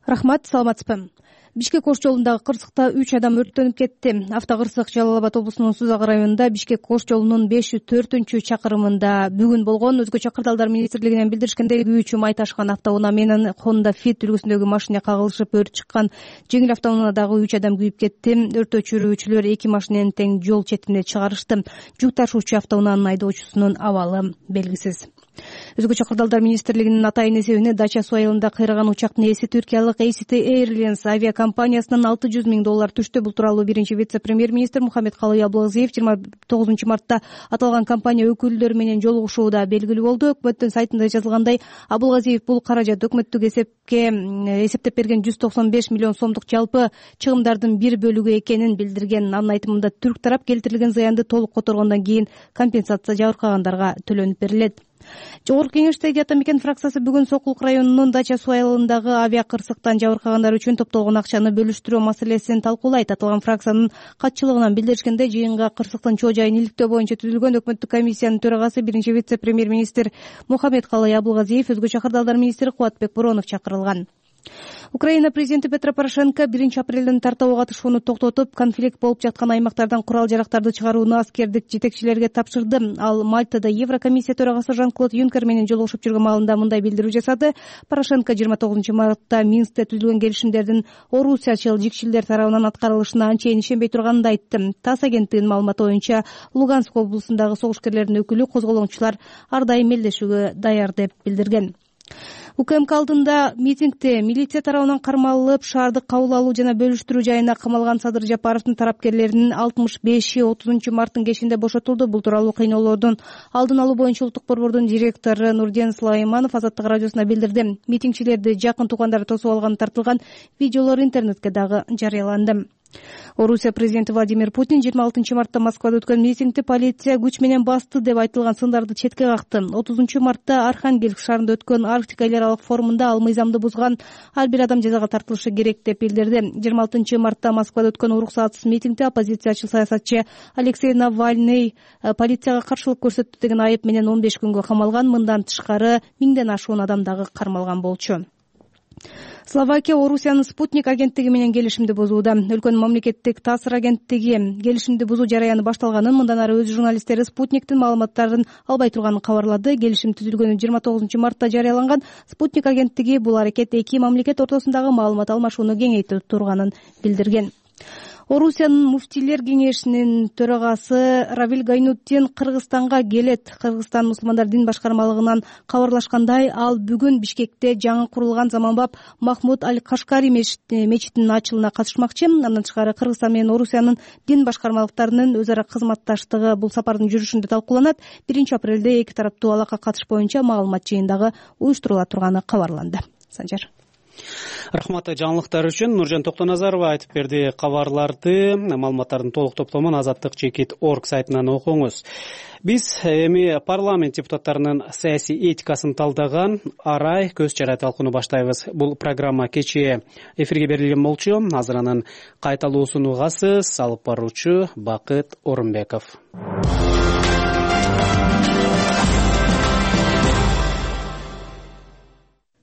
Speaker 5: Рахмат, саламатсызбы? Бишкек Ош жолундагы кырсыкта 3 адам өрттөнүп кетти. Автокырсык Жалал Абад облусунун Сузак районунда Бишкек Ош жолунун 504-чакырымында бүгүн болгон. Өзгөчө кырдаалдар министрлигинен билдиришкендей, күйүүчү май ташкан автоунаа менен Honda Fit үлгүсүндөгү машина кагылышып өрт чыккан. Жеңил автоунаадагы 3 адам күйүп кетти. Өрт өчүрүүчүлөр 2 машинени тең жол четине чыгарышты. Жүк ташуучу автоунаанын айдоочусунун абалы белгисиз. Өзгөчө кырдаалдар министрлигинин атайын эсебине Дача суу айылында кыйраган учактын ээси түркиялык ACT Airlines авиакомпаниясынан $600 000 түштү. Бул тууралуу биринчи вице-премьер-министр Мухаммедкалый Абылгазиев 29 мартта аталган компания өкүлдөрү менен жолугушууда белгилүү болду. Өкмөттүн сайтында жазылгандай, Абылгазиев бул каражат өкмөттүк эсептеп берген 195 миллион сомдук жалпы чыгымдардын бир бөлүгү экенин билдирген. Анын айтымында түрк тарап келтирилген зыянды толук которгондон кийин компенсация жабыркагандарга төлөнүп берилет. Жогорку кеңештеги Ата Мекен фракциясы бүгүн Сокулук районунун Дача суу айылындагы авиакырсыктан жабыркагандар үчүн топтолгон акчаны бөлүштүрүү маселесин талкуулайт. Аталган фракциянын катчылыгынан билдиришкендей, жыйынга кырсыктын чоо жайын иликтөө боюнча түзүлгөн өкмөттүк комиссиянын төрагасы биринчи вице-премьер-министр Мухаммедкалый Абылгазиев, өзгөчө кырдаалдар министри Кубатбек Боронов чакырылган. Украина президенти Петро Порошенко 1 апрелден тарта ок атышууну токтотуп, конфликт болуп жаткан аймактардан курал-жарактарды чыгарууну аскердик жетекчилерге тапшырды. Ал Мальтада Еврокомиссия төрагасы Жан-Клод Юнкер менен жолугушуп жүргөн маалында мындай билдирүү жасады. Порошенко 29 мартта Минскте түзүлгөн келишимдердин орусиячыл жикшилдер тарабынан аткарылышына анчейин ишенбей турганын айтты. ТАСС агенттигинин маалыматы боюнча, Луганск облусундагы согушкерлердин өкүлү козголоңчулар ар дайым мелдешүүгө даяр деп билдирген. УКМК алдында митингде милиция тарабынан кармалып, шаардык кабыл алуу жана бөлүштүрүү жайына камалган Садыр Жапаровдун тарапкерлеринин 65-и 30 марттын кечинде бошотулду. Бул тууралуу кыйноолордун алдын алуу боюнча улуттук борбордун директору Нурден Сулайманов Азаттык радиосуна билдирди. Митингчилерди жакын туугандары тосуп алганы тартылган видеолор интернетке дагы жарыяланды. Орусия президенти Владимир Путин 26 мартта Москвада өткөн митингди полиция күч менен басты деп айтылган сындарды четке какты. 30 мартта Архангельск шаарында өткөн Арктика эл аралык форумунда ал мыйзамды бузган ар бир адам жазага тартылышы керек деп билдирди. 26 мартта Москвада өткөн уруксатсыз митингде оппозициячыл саясатчы Алексей Навальный полицияга каршылык көрсөттү деген айып менен 15 күнгө камалган. Мындан тышкары 1000ден ашуун адам дагы кармалган болчу. Словакия Орусиянын Спутник агенттиги менен келишимди бузууда. Өлкөнүн мамлекеттик таасир агенттиги келишимди бузуу жараяны башталганын, мындан ары өз журналисттери Спутниктин маалыматтарын албай турганын кабарлады. Келишим түзүлгөнү 29 мартта жарыяланган. Спутник агенттиги бул аракет эки мамлекет ортосундагы маалымат алмашууну кеңейтип турганын билдирген. Орусиянын муфтийлер кеңешинин төрагасы Равиль Гайнутдин Кыргызстанга келет. Кыргызстан мусулмандар дин башкармалыгынан кабарлашкандай, ал бүгүн Бишкекте жаңы курулган Заманбап Махмуд Аль-Кашкари мечитинин ачылууна катышмакчы. Андан тышкары Кыргызстан менен Орусиянын дин башкармалыктарынын өз ара кызматташтыгы бул сапардын жүрүшүндө талкууланат. 1 апрелде эки тараптуу алакка катыш боюнча маалымат жыйындагы уюштурула турганы кабарланды. Санжар.
Speaker 1: Рахмат жаңылыктар үчүн. Нуржан Токтоназарова айтып берди кабарларды. Маалыматтардын толук топтомун azattik.org сайтынан окуңуз. Биз эми парламент депутаттарынын саясий этикасын талдаган арай көз чарай талкууну баштайбыз. Бул программа кечээ эфирге берилген болчу. Азыр анын кайталуусун угасыз. Алып баруучу Бакыт Орунбеков.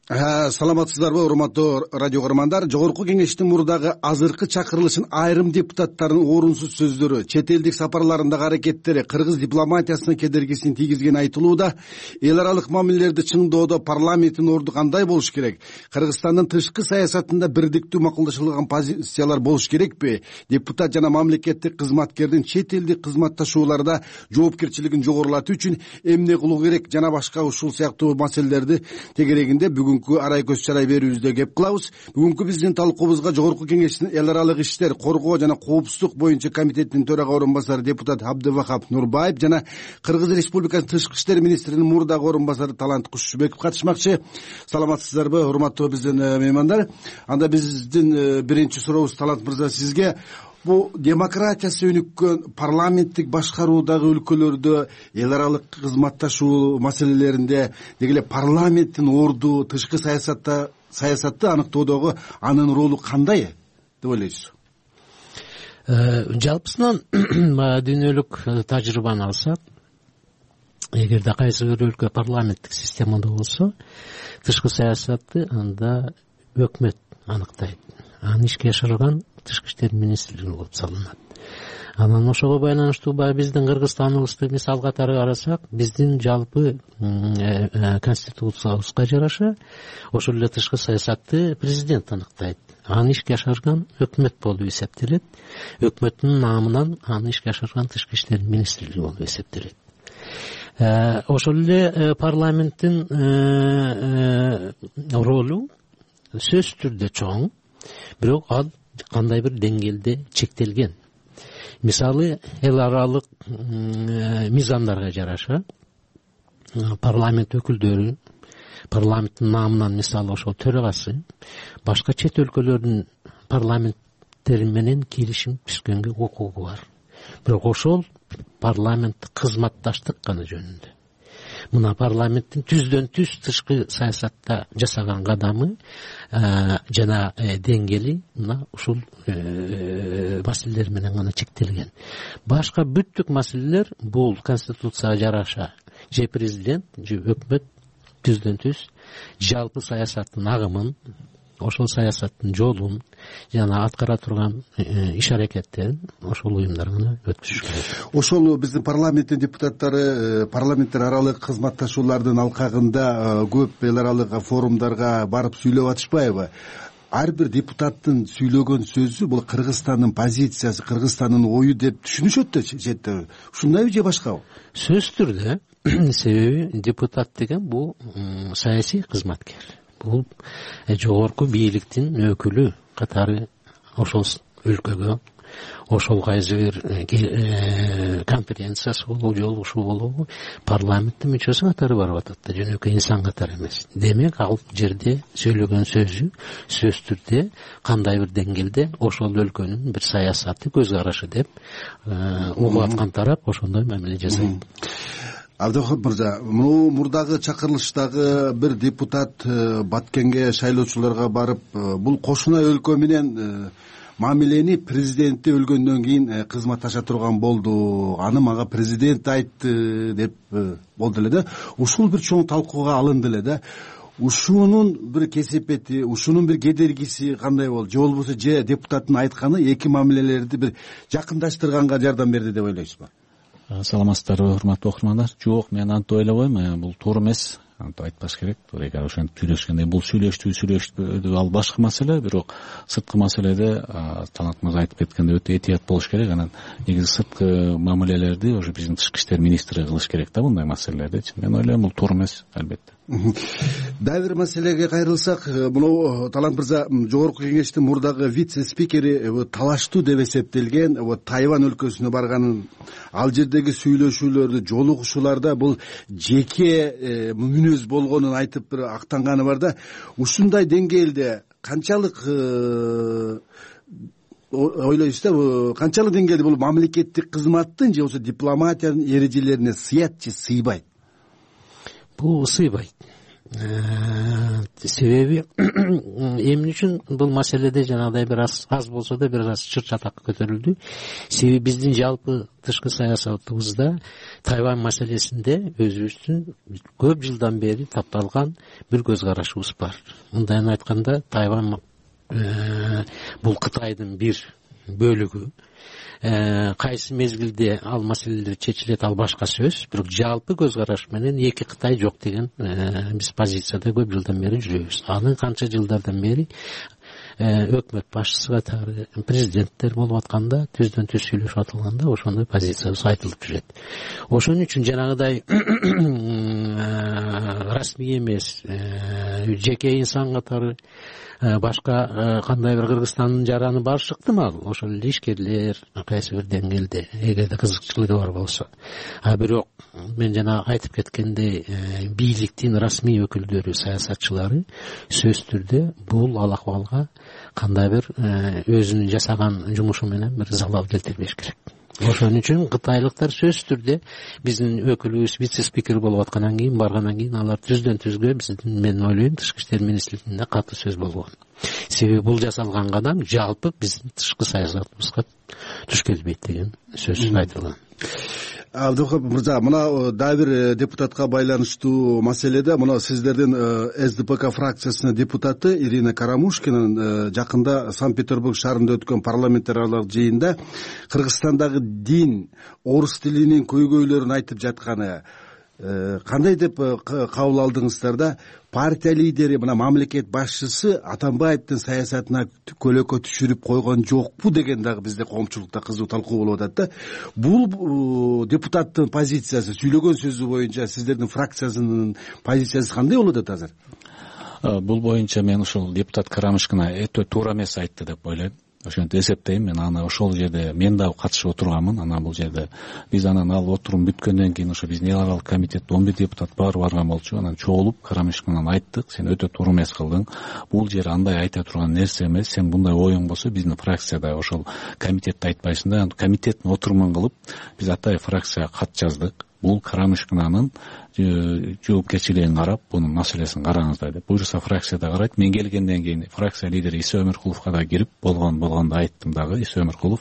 Speaker 6: Саламатсыздарбы, урматтуу радио көрөрмандар. Жогорку кеңештин мурдагы азыркы чакырылышын айрым депутаттардын орунсуз сөздөрү, чет элдик сапарларындагы аракеттери кыргыз дипломатиясына кедергисин тийгизгени айтылууда. Эл аралык мамилелерди чыңдоодо парламенттин орду кандай болуш керек? Кыргызстандын тышкы саясатында бирдиктүү макулдашылган позициялар болуш керекпи? Депутат жана мамлекеттик кызматкердин чет элдик кызматташууларда жоопкерчилигин жогорулатуу үчүн эмне кылуу керек жана башка ушул сыяктуу маселелерди тегерегинде бүгүн арай көз чарай берүүбүздө кеп кылабыз. Бүгүнкү биздин талкуубузга Жогорку кеңештин эл аралык иштер, коргоо жана коопсуздук боюнча комитеттин төрага орун басары депутат Абдывахап Нурбаев жана Кыргыз Республикасынын тышкы иштер министринин мурдагы орун басары Талант Кушчубеков катышмакчы. Саламатсыздарбы, урматтуу биздин меймандар? Анда биздин биринчи сурообуз Талант мырза сизге. Бул демократиясы өнүккөн парламенттик башкаруудагы өлкөлөрдө эл аралык кызматташуу маселелеринде деги эле парламенттин орду тышкы саясатты аныктоодогу анын ролу кандай деп ойлойсуз?
Speaker 8: Жалпысынан дүйнөлүк тажрыйбаны алсак, эгерде кайсы бир өлкө парламенттик системада болсо, тышкы саясатты анда өкмөт аныктайт. Аны ишке ашырган тышкы иштер министрлиги болуп салынат. Анан ошого байланыштуу биздин Кыргызстаныбызды мисал катары карасак, биздин жалпы конституциябызга жараша ошол эле тышкы саясатты президент аныктайт. Аны ишке ашырган өкмөт болуп эсептелет. Өкмөттүн намынан аны ишке ашырган тышкы иштер министрлиги болуп эсептелет. Ошол эле парламенттин ролу сөзсүз түрдө чоң, бирок ал кандай бир деңгээлде чектелген. Мисалы, эл аралык мыйзамдарга жараша парламент өкүлдөрү, парламенттин намынан мисалы ошол төрагасы башка чет өлкөлөрдүн парламенттери менен киришим түзгөнгө укугу бар. Бирок ошол парламенттик кызматташтык гана жөнүндө. Мына парламенттин түздөн түз тышкы саясатта жасаган кадамы жана деңгээли мына ушул маселелер менен гана чектелген. Башка бүттүк маселелер бул конституцияга жараша же президент, же өкмөт түздөн түз жалпы саясаттын агымын, ошол саясаттын жолун жана аткара турган иш аракеттерин ошол уюмдар гана өткүзүш керек.
Speaker 6: Ошол биздин парламенттин депутаттары парламенттер аралык кызматташуулардын алкагында көп эл аралык форумдарга барып сүйлөп атышпайбы? Ар бир депутаттын сүйлөгөн сөзү бул Кыргызстандын позициясы, Кыргызстандын ою деп түшүнүшөт да четте. Ушундайбы же башкабы?
Speaker 8: Сөзсүз түрдө. Себеби депутат деген бул саясий кызматкер. Бул жогорку бийликтин өкүлү катары ошол өлкөгө, ошол кайсы бир конференциясы болобу, жолугушуу болобу, парламенттин мүчөсү катары барып атат да, жөнөкөй инсан катары эмес. Демек, ал жерде сөйлөгөн сөзү сөзсүз түрдө кандай бир деңгээлде ошол өлкөнүн бир саясаты, көз карашы деп угуп аткан тарап ошондой мамиле жасайт.
Speaker 6: Абдывахап мырза, мурдагы чакырылыштагы бир депутат Баткенге шайлоочуларга барып, бул кошуна өлкө менен мамилени президенти өлгөндөн кийин кызматташа турган болду. Аны мага президент айтты деп болду эле да. Ушул бир чоң талкууга алынды эле да. Ушунун бир кесепети, ушунун бир кедергиси кандай болду? Же болбосо же депутаттын айтканы эки мамилелерди бир жакындаштырганга жардам берди деп ойлойсузбу?
Speaker 23: Саламатсыздарбы, урматтуу окурмандар. Жок, мен антип ойлобойм, бул туура эмес. Антип айтпаш керек. Эгер ошентип сүйлөшкөндө бул сүйлөштүү ал башка маселе, бирок сырткы маселеде Талант мырза айтып кеткендей өтө этият болуш керек. Анан негизи сырткы мамилелерди уже биздин тышкы иштер министри кылыш керек да мындай маселелерди. Мен ойлойм бул туура эмес, албетте.
Speaker 6: Дагы бир маселеге кайрылсак, мына Талант мырза жогорку кеңештин мурдагы вице-спикери талаштуу деп эсептелген Тайвань өлкөсүнө барганын, ал жердеги сүйлөшүүлөрдү, жолугушууларда бул жеке мүнөз болгонун айтып бир актанганы бар да. Ушундай деңгээлде канчалык ойлойсуз да, канчалык деңгээлде бул мамлекеттик кызматтын же болбосо дипломатиянын эрежелерине сыят же сыйбайт?
Speaker 8: Бул сыйбайт. Себеби эмне үчүн бул маселеде жанагыдай бир аз болсо да бир аз чыр чатак көтөрүлдү. Себеби биздин жалпы тышкы саясатыбызда Тайвань маселесинде өзүбүздүн көп жылдан бери тапталган бир көз карашыбыз бар. Мындайын айтканда, Тайвань бул Кытайдын бир бөлүгү. Кайсы мезгилде ал маселелер чечилет, ал башка сөз. Бирок жалпы көз караш менен эки Кытай жок деген биз позицияда көп жылдан бери жүрөбүз. Аны канча жылдардан бери өкмөт башчысы катары президенттер болуп атканда, түздөн түз сүйлөшүп атылганда ошондой позициябыз айтылып жүрөт. Ошон үчүн жанагыдай расмий эмес, жеке инсан катары башка кандай бир Кыргызстандын жараны бар шыктымал, ошол эле ишкерлер кайсы бир деңгээлде эгерде кызыкчылыгы бар болсо. Бирок мен жана айтып кеткендей, бийликтин расмий өкүлдөрү, саясатчылары сөзсүз түрдө бул ал акыбалга кандай бир өзүнүн жасаган жумушу менен бир залал келтирбеш керек. Ошон үчүн кытайлыктар сөзсүз түрдө биздин өкүлүбүз вице-спикер болуп аткандан кийин, баргандан кийин алар түздөн түзгө биздин, мен ойлойм, тышкы иштер министрлигинде катуу сөз болгон. Себеби бул жасалган кадам жалпы биздин тышкы саясатыбызга туш келбейт деген сөз айтылган.
Speaker 6: Абдухап мырза, мына дагы бир депутатка байланыштуу маселеде, мына сиздердин СДПК фракциясынын депутаты Ирина Карамушкинин жакында Санкт-Петербург шаарында өткөн парламентаралык жыйында Кыргызстандагы дин, орус тилинин көйгөйлөрүн айтып жатканы кандай деп кабыл алдыңыздар да? Партия лидери, мына мамлекет башчысы Атамбаевдин саясатына көлөкө түшүрүп койгон жокпу деген дагы бизде коомчулукта кызуу талкуу болуп атат да. Бул депутаттын позициясы, сүйлөгөн сөзү боюнча сиздердин фракциясынын позициясы кандай болуп атат азыр?
Speaker 23: Бул боюнча мен ушул депутат Карамушкина өтө туура эмес айтты деп ойлойм. Ошентип эсептейм. Мен аны ошол жерде мен дагы катышып отурганмын. Анан бул жерде биз анан ал отурум бүткөндөн кийин ошо биздин эл аралык комитетте 11 депутат барган болчу. Анан чогулуп Карамушкинан айттык, сен өтө туура эмес кылдың. Бул жер андай айта турган нерсе эмес. Сен мындай оюң болсо биздин фракцияда ошол комитетте айтпайсың да. Комитеттин отурумун кылып биз атай фракцияга кат жаздык. Бул Карамушкинанын жоопкерчилигин карап, бунун маселесин караңыздар деп. Буюрса фракцияда карайт. Мен келгенден кийин фракция лидери Иса Өмүркуловго да кирип болгондо айттым дагы. Иса Өмүркулов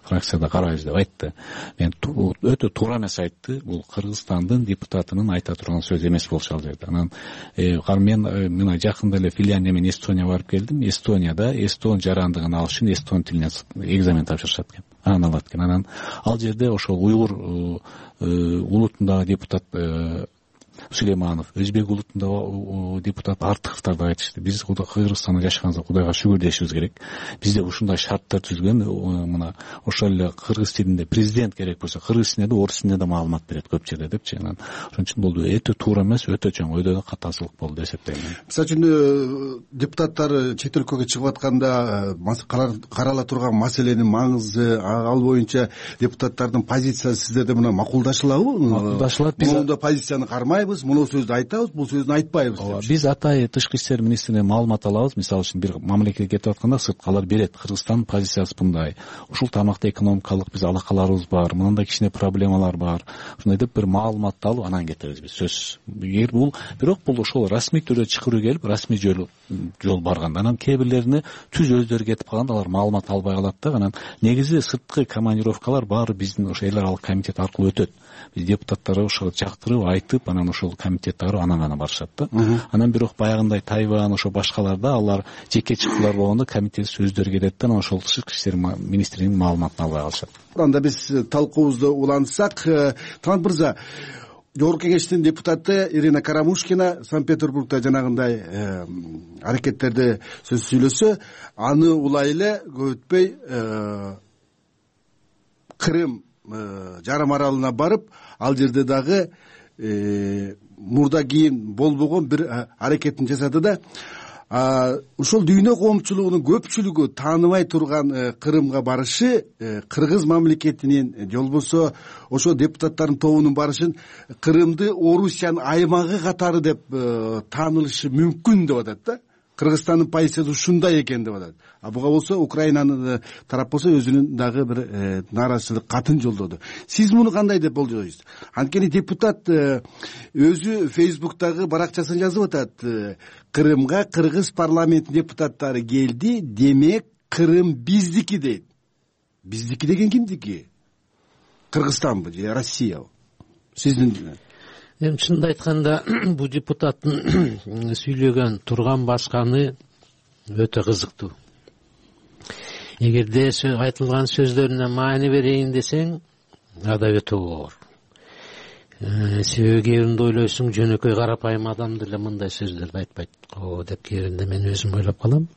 Speaker 23: фракцияда карайбыз деп айтты. Мен өтө туура эмес айтты. Бул Кыргызстандын депутатынын айта турган сөзү эмес болчу ал жерде. Анан мен мына жакында эле Финляндия менен Эстонияга барып келдим. Эстонияда эстон жарандыгын алыш үчүн эстон тилине экзамен тапшырышат экен. Анан алат экен. Анан ал жерде ошол уйгур улутундагы депутат Сулейманов, өзбек улутундагы депутат Артыковдор да айтышты. Биз Кыргызстанда жашаганыбызга Кудайга шүгүр дешибиз керек. Бизде ушундай шарттар түзгөн, мына ошол эле кыргыз тилинде президент керек болсо, кыргыз тилинде да, орус тилинде да маалымат берет көп жерде депчи. Анан ошон үчүн бул өтө туура эмес, өтө чоң өйдө катаасыздык болду деп эсептейм.
Speaker 6: Мисалы үчүн депутаттар чет өлкөгө чыгып атканда карала турган маселенин маңызы, ал боюнча депутаттардын позициясы сиздерде мына макулдашылабы?
Speaker 23: Макулдашылат. Биз
Speaker 6: мында позицияны кармайбыз, муну сөздү айтабыз, бул сөздү айтпайбыз.
Speaker 23: Биз атай тышкы иштер министринен маалымат алабыз. Мисалы үчүн бир мамлекетке кетип атканда сырткалар берет. Кыргызстандын позициясы мындай. Ушул тармакта экономикалык биз алакаларыбыз бар, мындай кичине проблемалар бар. Ушундай деп бир маалыматты алып анан кетебиз биз. Сөз. Эгер бул бирок бул ошол расмий түрдө чакыруу келип, расмий жол барганда, анан кээ бирлерине түз өздөрү кетип калганда алар маалымат албай калат да. Анан негизи сырткы командировкалар баары биздин ошо эл аралык комитет аркылуу өтөт. Биз депутаттарды ошого чактырып, айтып, анан ошол комитеттери анан гана барышат да. Анан бирок баягындай Тайвань ошо башкаларда алар жеке чыктылар болгондо комитет сөздөрү кетет да, анан ошол тышкы иштер министринин маалыматын албай калышат.
Speaker 6: Анда биз талкуубузду улантсак, Талант мырза, Жогорку кеңештин депутаты Ирина Карамушкина Санкт-Петербургда жанагындай аракеттерди сөз сүйлөсө, аны улай эле көп өтпөй Крым жарым аралына барып, ал жерде дагы мурда кийин болбогон бир аракетин жасады да. ушул дүйнө коомчулугунун көпчүлүгү тааныбай турган Кырымга барышы кыргыз мамлекетинин же болбосо ошо депутаттардын тобунун барышын Кырымды Орусиянын аймагы катары деп таанылышы мүмкүн деп атат да. Кыргызстандын позициясы ушундай экен деп атат. Буга болсо Украинанын тарап болсо өзүнүн дагы бир нааразычылык катын жолдоду. Сиз муну кандай деп болжойсуз? Анткени депутат өзү Фейсбуктагы баракчасына жазып атат: Кырымга кыргыз парламентинин депутаттары келди, демек Кырым биздики дейт. Биздики деген кимдики? Кыргызстанбы же Россиябы? Сиздин
Speaker 8: Эми чынын айтканда бул депутаттын сүйлөгөн турган басканы өтө кызыктуу. Эгерде айтылган сөздөрүнө маани берейин десең, ада өтө оор. Себеби кээ биринде ойлойсуң, жөнөкөй карапайым адам деле мындай сөздөрдү айтпайт го деп кээ биринде мен өзүм ойлоп калам.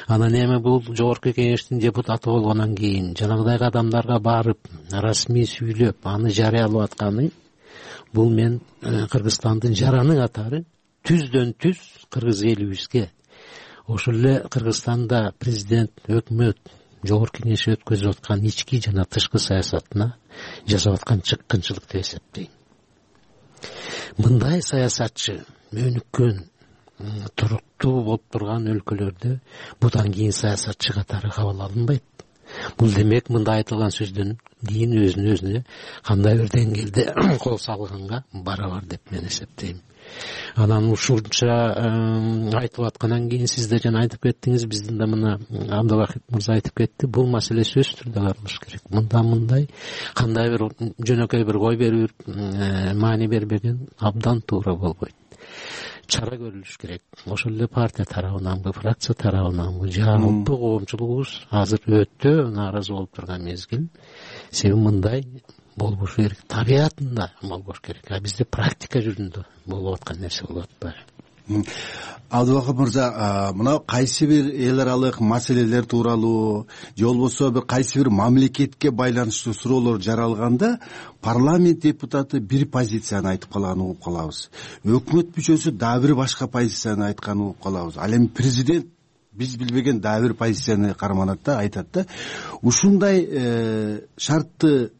Speaker 8: Анан эми бул жогорку кеңештин депутаты болгондон кийин жанагыдай адамдарга барып, расмий сүйлөп, аны жарыялап атканы, бул мен Кыргызстандын жараны катары түздөн түз кыргыз элибизге, ошол эле Кыргызстанда президент, өкмөт, жогорку кеңеш өткөзүп аткан ички жана тышкы саясатына жасап аткан чыккынчылык деп эсептейм. Мындай саясатчы өнүккөн, туруктуу болуп турган өлкөлөрдө будан кийин саясатчы катары кабыл алынбайт. Бул демек мында айтылган сөздөн кийин өзүнө кандай бир деңгээлде кол салганга барабар деп мен эсептейм. Анан ушунча айтып аткандан кийин сиз да жана айтып кеттиңиз, биздин да мына Абдылвахит мырза айтып кетти, бул маселе сөзсүз түрдө каралыш керек. Мындай кандай бир жөнөкөй бир кой берип маани бербеген абдан туура болбойт. Чара көрүлүш керек. Ошол эле партия тарабынан, фракция тарабынан жалпы коомчулугубуз азыр өтө нааразы болуп турган мезгил. Себеби мындай болбошу керек, табиятында болбош керек. Бизде практика жүзүндө болуп аткан нерсе болуп атпайбы?
Speaker 6: Абдылвахит мырза, мына кайсы бир эл аралык маселелер тууралуу же болбосо бир кайсы бир мамлекетке байланыштуу суроолор жаралганда парламент депутаты бир позицияны айтып калганын угуп калабыз. Өкмөт мүчөсү дагы бир башка позицияны айтканын угуп калабыз. Ал эми президент биз билбеген дагы бир позицияны карманат да, айтат да. Ушундай шартты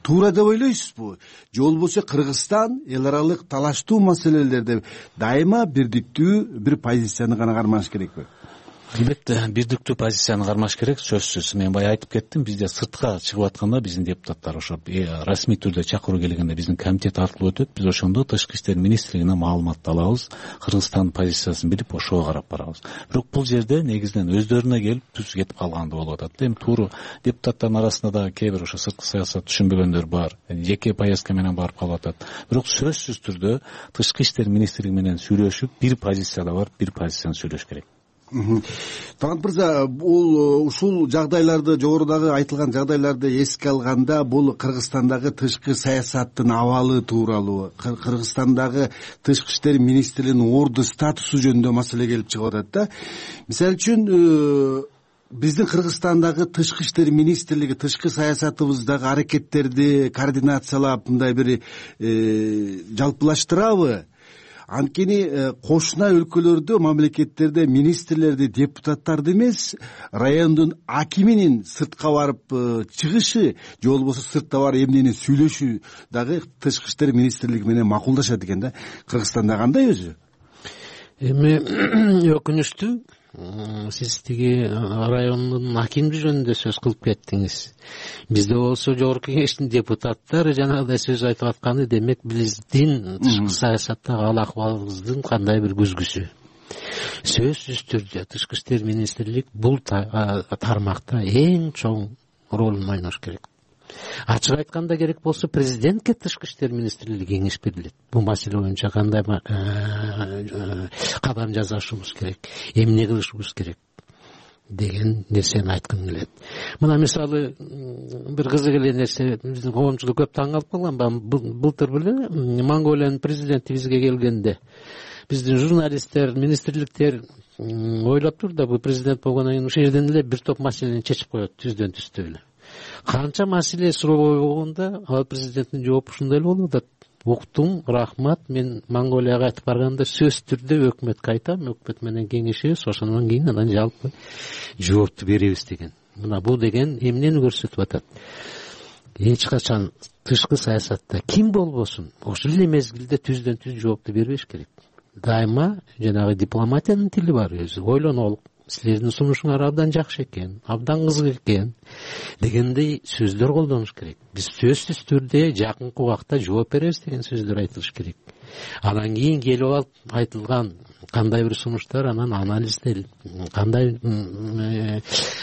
Speaker 6: туура деп ойлойсузбу? Же болбосо Кыргызстан эл аралык талаштуу маселелерде дайыма бирдиктүү бир позицияны гана кармаш керекпи?
Speaker 23: Албетте, бирдиктүү позицияны кармаш керек, сөзсүз. Мен бая айтып кеттим, бизде сыртка чыгып атканда биздин депутаттар ошо расмий түрдө чакыруу келгенде биздин комитет аркылуу өтөт. Биз ошондо Тышкы иштер министрлигинен маалымат алабыз, Кыргызстандын позициясын билип, ошого карап барабыз. Бирок бул жерде негизинен өздөрүнө келип түз кетип калгандай болуп атат. Эми туура депутаттардын арасында да кээ бир ошо сырткы саясат түшүнбөгөндөр бар, жеке поездка менен барып калып атат. Бирок сөзсүз түрдө Тышкы иштер министрлиги менен сүйлөшүп, бир позицияда бар, бир позицияны сүйлөш керек.
Speaker 6: Талант мырза, бул ушул жагдайларды, жогорудагы айтылган жагдайларды эске алганда, бул Кыргызстандагы тышкы саясаттын абалы тууралуу, Кыргызстандагы тышкы иштер министрлигинин орду статусу жөнүндө маселе келип чыгып атат да. Мисалы үчүн биздин Кыргызстандагы тышкы иштер министрлиги тышкы саясатыбыздагы аракеттерди координациялап мындай бир жалпылаштырабы? Анткени кошуна өлкөлөрдө, мамлекеттерде министрлерди, депутаттарды эмес, райондун акиминин сыртка барып чыгышы же болбосо сыртта барып эмнени сүйлөшү дагы тышкы иштер министрлиги менен макулдашат экен да. Кыргызстанда кандай өзү?
Speaker 8: Эми өкүнүчтүү, сиз тиги райондун акими жөнүндө сөз кылып кеттиңиз. Бизде болсо жогорку кеңештин депутаттары жанагыдай сөз айтып атканы, демек биздин тышкы саясаттагы ал акыбалыбыздын кандай бир күзгүсү. Сөзсүз түрдө тышкы иштер министрлиги бул тармакта эң чоң ролун ойнош керек. Ачык айтканда керек болсо президентке тышкы иштер министрлиги кеңеш берилет. Бул маселе боюнча кандай кадам жасашыбыз керек, эмне кылышыбыз керек деген нерсени айткым келет. Мына мисалы бир кызык эле нерсе, биздин коомчулук көп таң калып калган. Былтыр беле Монголиянын президенти бизге келгенде биздин журналисттер, министрликтер ойлоп тур да, бул президент болгондон кийин ушул жерден эле бир топ маселени чечип коет түздөн түздө эле. Канча маселе суроо болгондо ал президенттин жоопу ушундай эле болуп атат. уктум, рахмат. Мен Монголияга кайтып барганда сөзсүз түрдө өкмөткө айтам, өкмөт менен кеңешебиз, ошондон кийин анан жалпы жоопту беребиз деген. Мына бул деген эмнени көрсөтүп атат? Эч качан тышкы саясатта ким болбосун ошол эле мезгилде түздөн түз жоопту бербеш керек. Дайыма жанагы дипломатиянын тили бар, өзү ойлонолук. Силердин сунушуңар абдан жакшы экен, абдан кызык экен дегендей сөздөр колдонуш керек. Биз сөзсүз түрдө жакынкы убакта жооп беребиз деген сөздөр айтылыш керек. Анан кийин келип алып айтылган кандай бир сунуштар, анан анализделип, кандай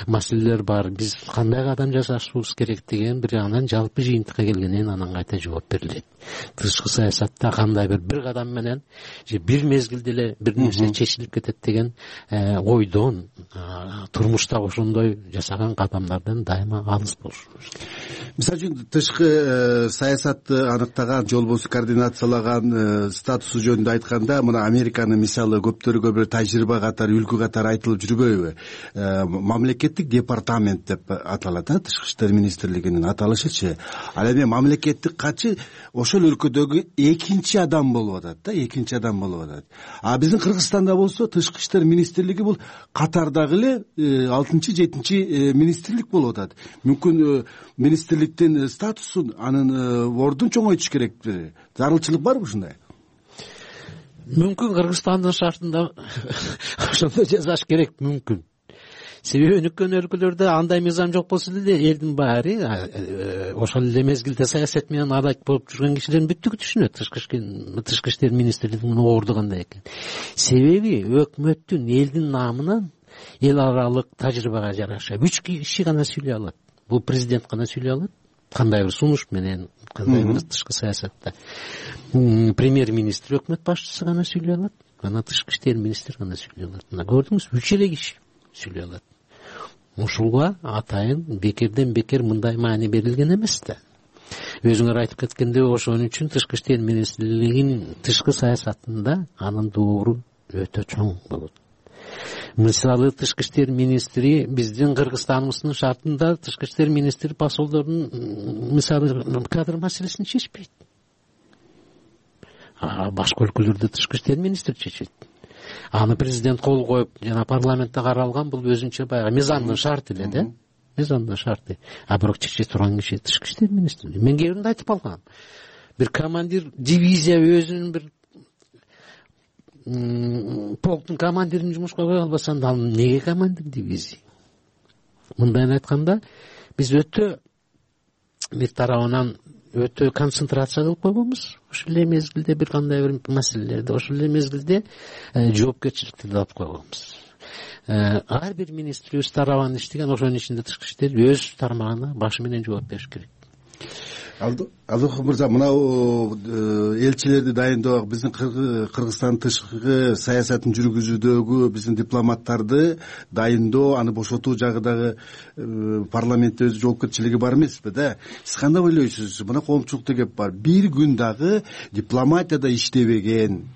Speaker 8: маселелер бар, биз кандай кадам жасашыбыз керек деген бир анан жалпы жыйынтыкка келгенден анан кайта жооп берилет. Тышкы саясатта кандай бир кадам менен же бир мезгилде эле бир нерсе чечилип кетет деген ойдон, турмушта ошондой жасаган кадамдардан дайыма алыс болушубуз керек.
Speaker 6: Мисалы үчүн тышкы саясатты аныктаган же болбосо координациялаган статусу жөнүндө айтканда, мына Американын мисалы көптөргө бир тажрыйба катары, үлгү катары айтылып жүрбөйбү? Мамлекеттик департамент деп аталат, тышкы иштер министрлигинин аталышычы. Ал эми мамлекеттик катчы ошол өлкөдөгү экинчи адам болуп атат да, экинчи адам болуп атат. А биздин Кыргызстанда болсо тышкы иштер министрлиги бул катардагы эле 6-7 министрлик болуп атат. Мүмкүн министрликтин статусун, анын ордун чоңойтуш керекпи? Зарылчылык барбы ушундай?
Speaker 8: Мүмкүн Кыргызстандын шартында ошондой жасаш керек, мүмкүн. Себеби өнүккөн өлкөлөрдө андай мыйзам жок болсо деле элдин баары ошол эле мезгилде саясат менен аралык болуп жүргөн кишилердин бүттүгү түшүнөт тышкы иштер министрлигинин орду кандай экен. Себеби өкмөттүн элдин намынан эл аралык тажрыйбага жараша 3 киши гана сүйлөй алат. Бул президент гана сүйлөй алат. Кандай бир сунуш менен, кандай бир тышкы саясатта. Премьер-министр, өкмөт башчысы гана сүйлөй алат. Анан тышкы иштер министри гана сүйлөй алат. Мына көрдүңүз, 3 эле киши сүйлөй алат. Ушуга атайын бекерден бекер мындай маани берилген эмес да. Өзүңөр айтып кеткендей, ошон үчүн тышкы иштер министрлигинин тышкы саясатында анын доору өтө чоң болот. Мисалы тышкы иштер министри биздин Кыргызстаныбыздын шартында тышкы иштер министри посолдордун мисалы кадр маселесин чечпейт. Башка өлкөлөрдө тышкы иштер министри чечет. Аны президент кол коюп, жана парламентте каралган, бул өзүнчө баягы мыйзамдын шарты эле да. Мыйзамдын шарты. Бирок чече турган киши тышкы иштер министри. Мен кээ биринде айтып калгам. Бир командир дивизия өзүнүн бир полктун командирин жумушка кое албаса, ал неге командир дивизия? Мындайын айтканда, биз өтө бир тарабынан өтө концентрация кылып койгонбуз. Ошол эле мезгилде бир кандай бир маселелерди, ошол эле мезгилде жоопкерчиликти да алып койгонбуз. Ар бир министр өз тарабынан иштеген, ошонун ичинде тышкы иштер өз тармагына башы менен жооп бериш керек.
Speaker 6: Алдыков мырза, мынау элчилерди дайындоо, биздин Кыргызстан тышкы саясатын жүргүзүүдөгү биздин дипломаттарды дайындоо, аны бошотуу жагыдагы парламентте өз жоопкерчилиги бар эмеспи да? Сиз кандай ойлойсуз? Мына коомчулукта кеп бар. Бир күн дагы дипломатияда иштебеген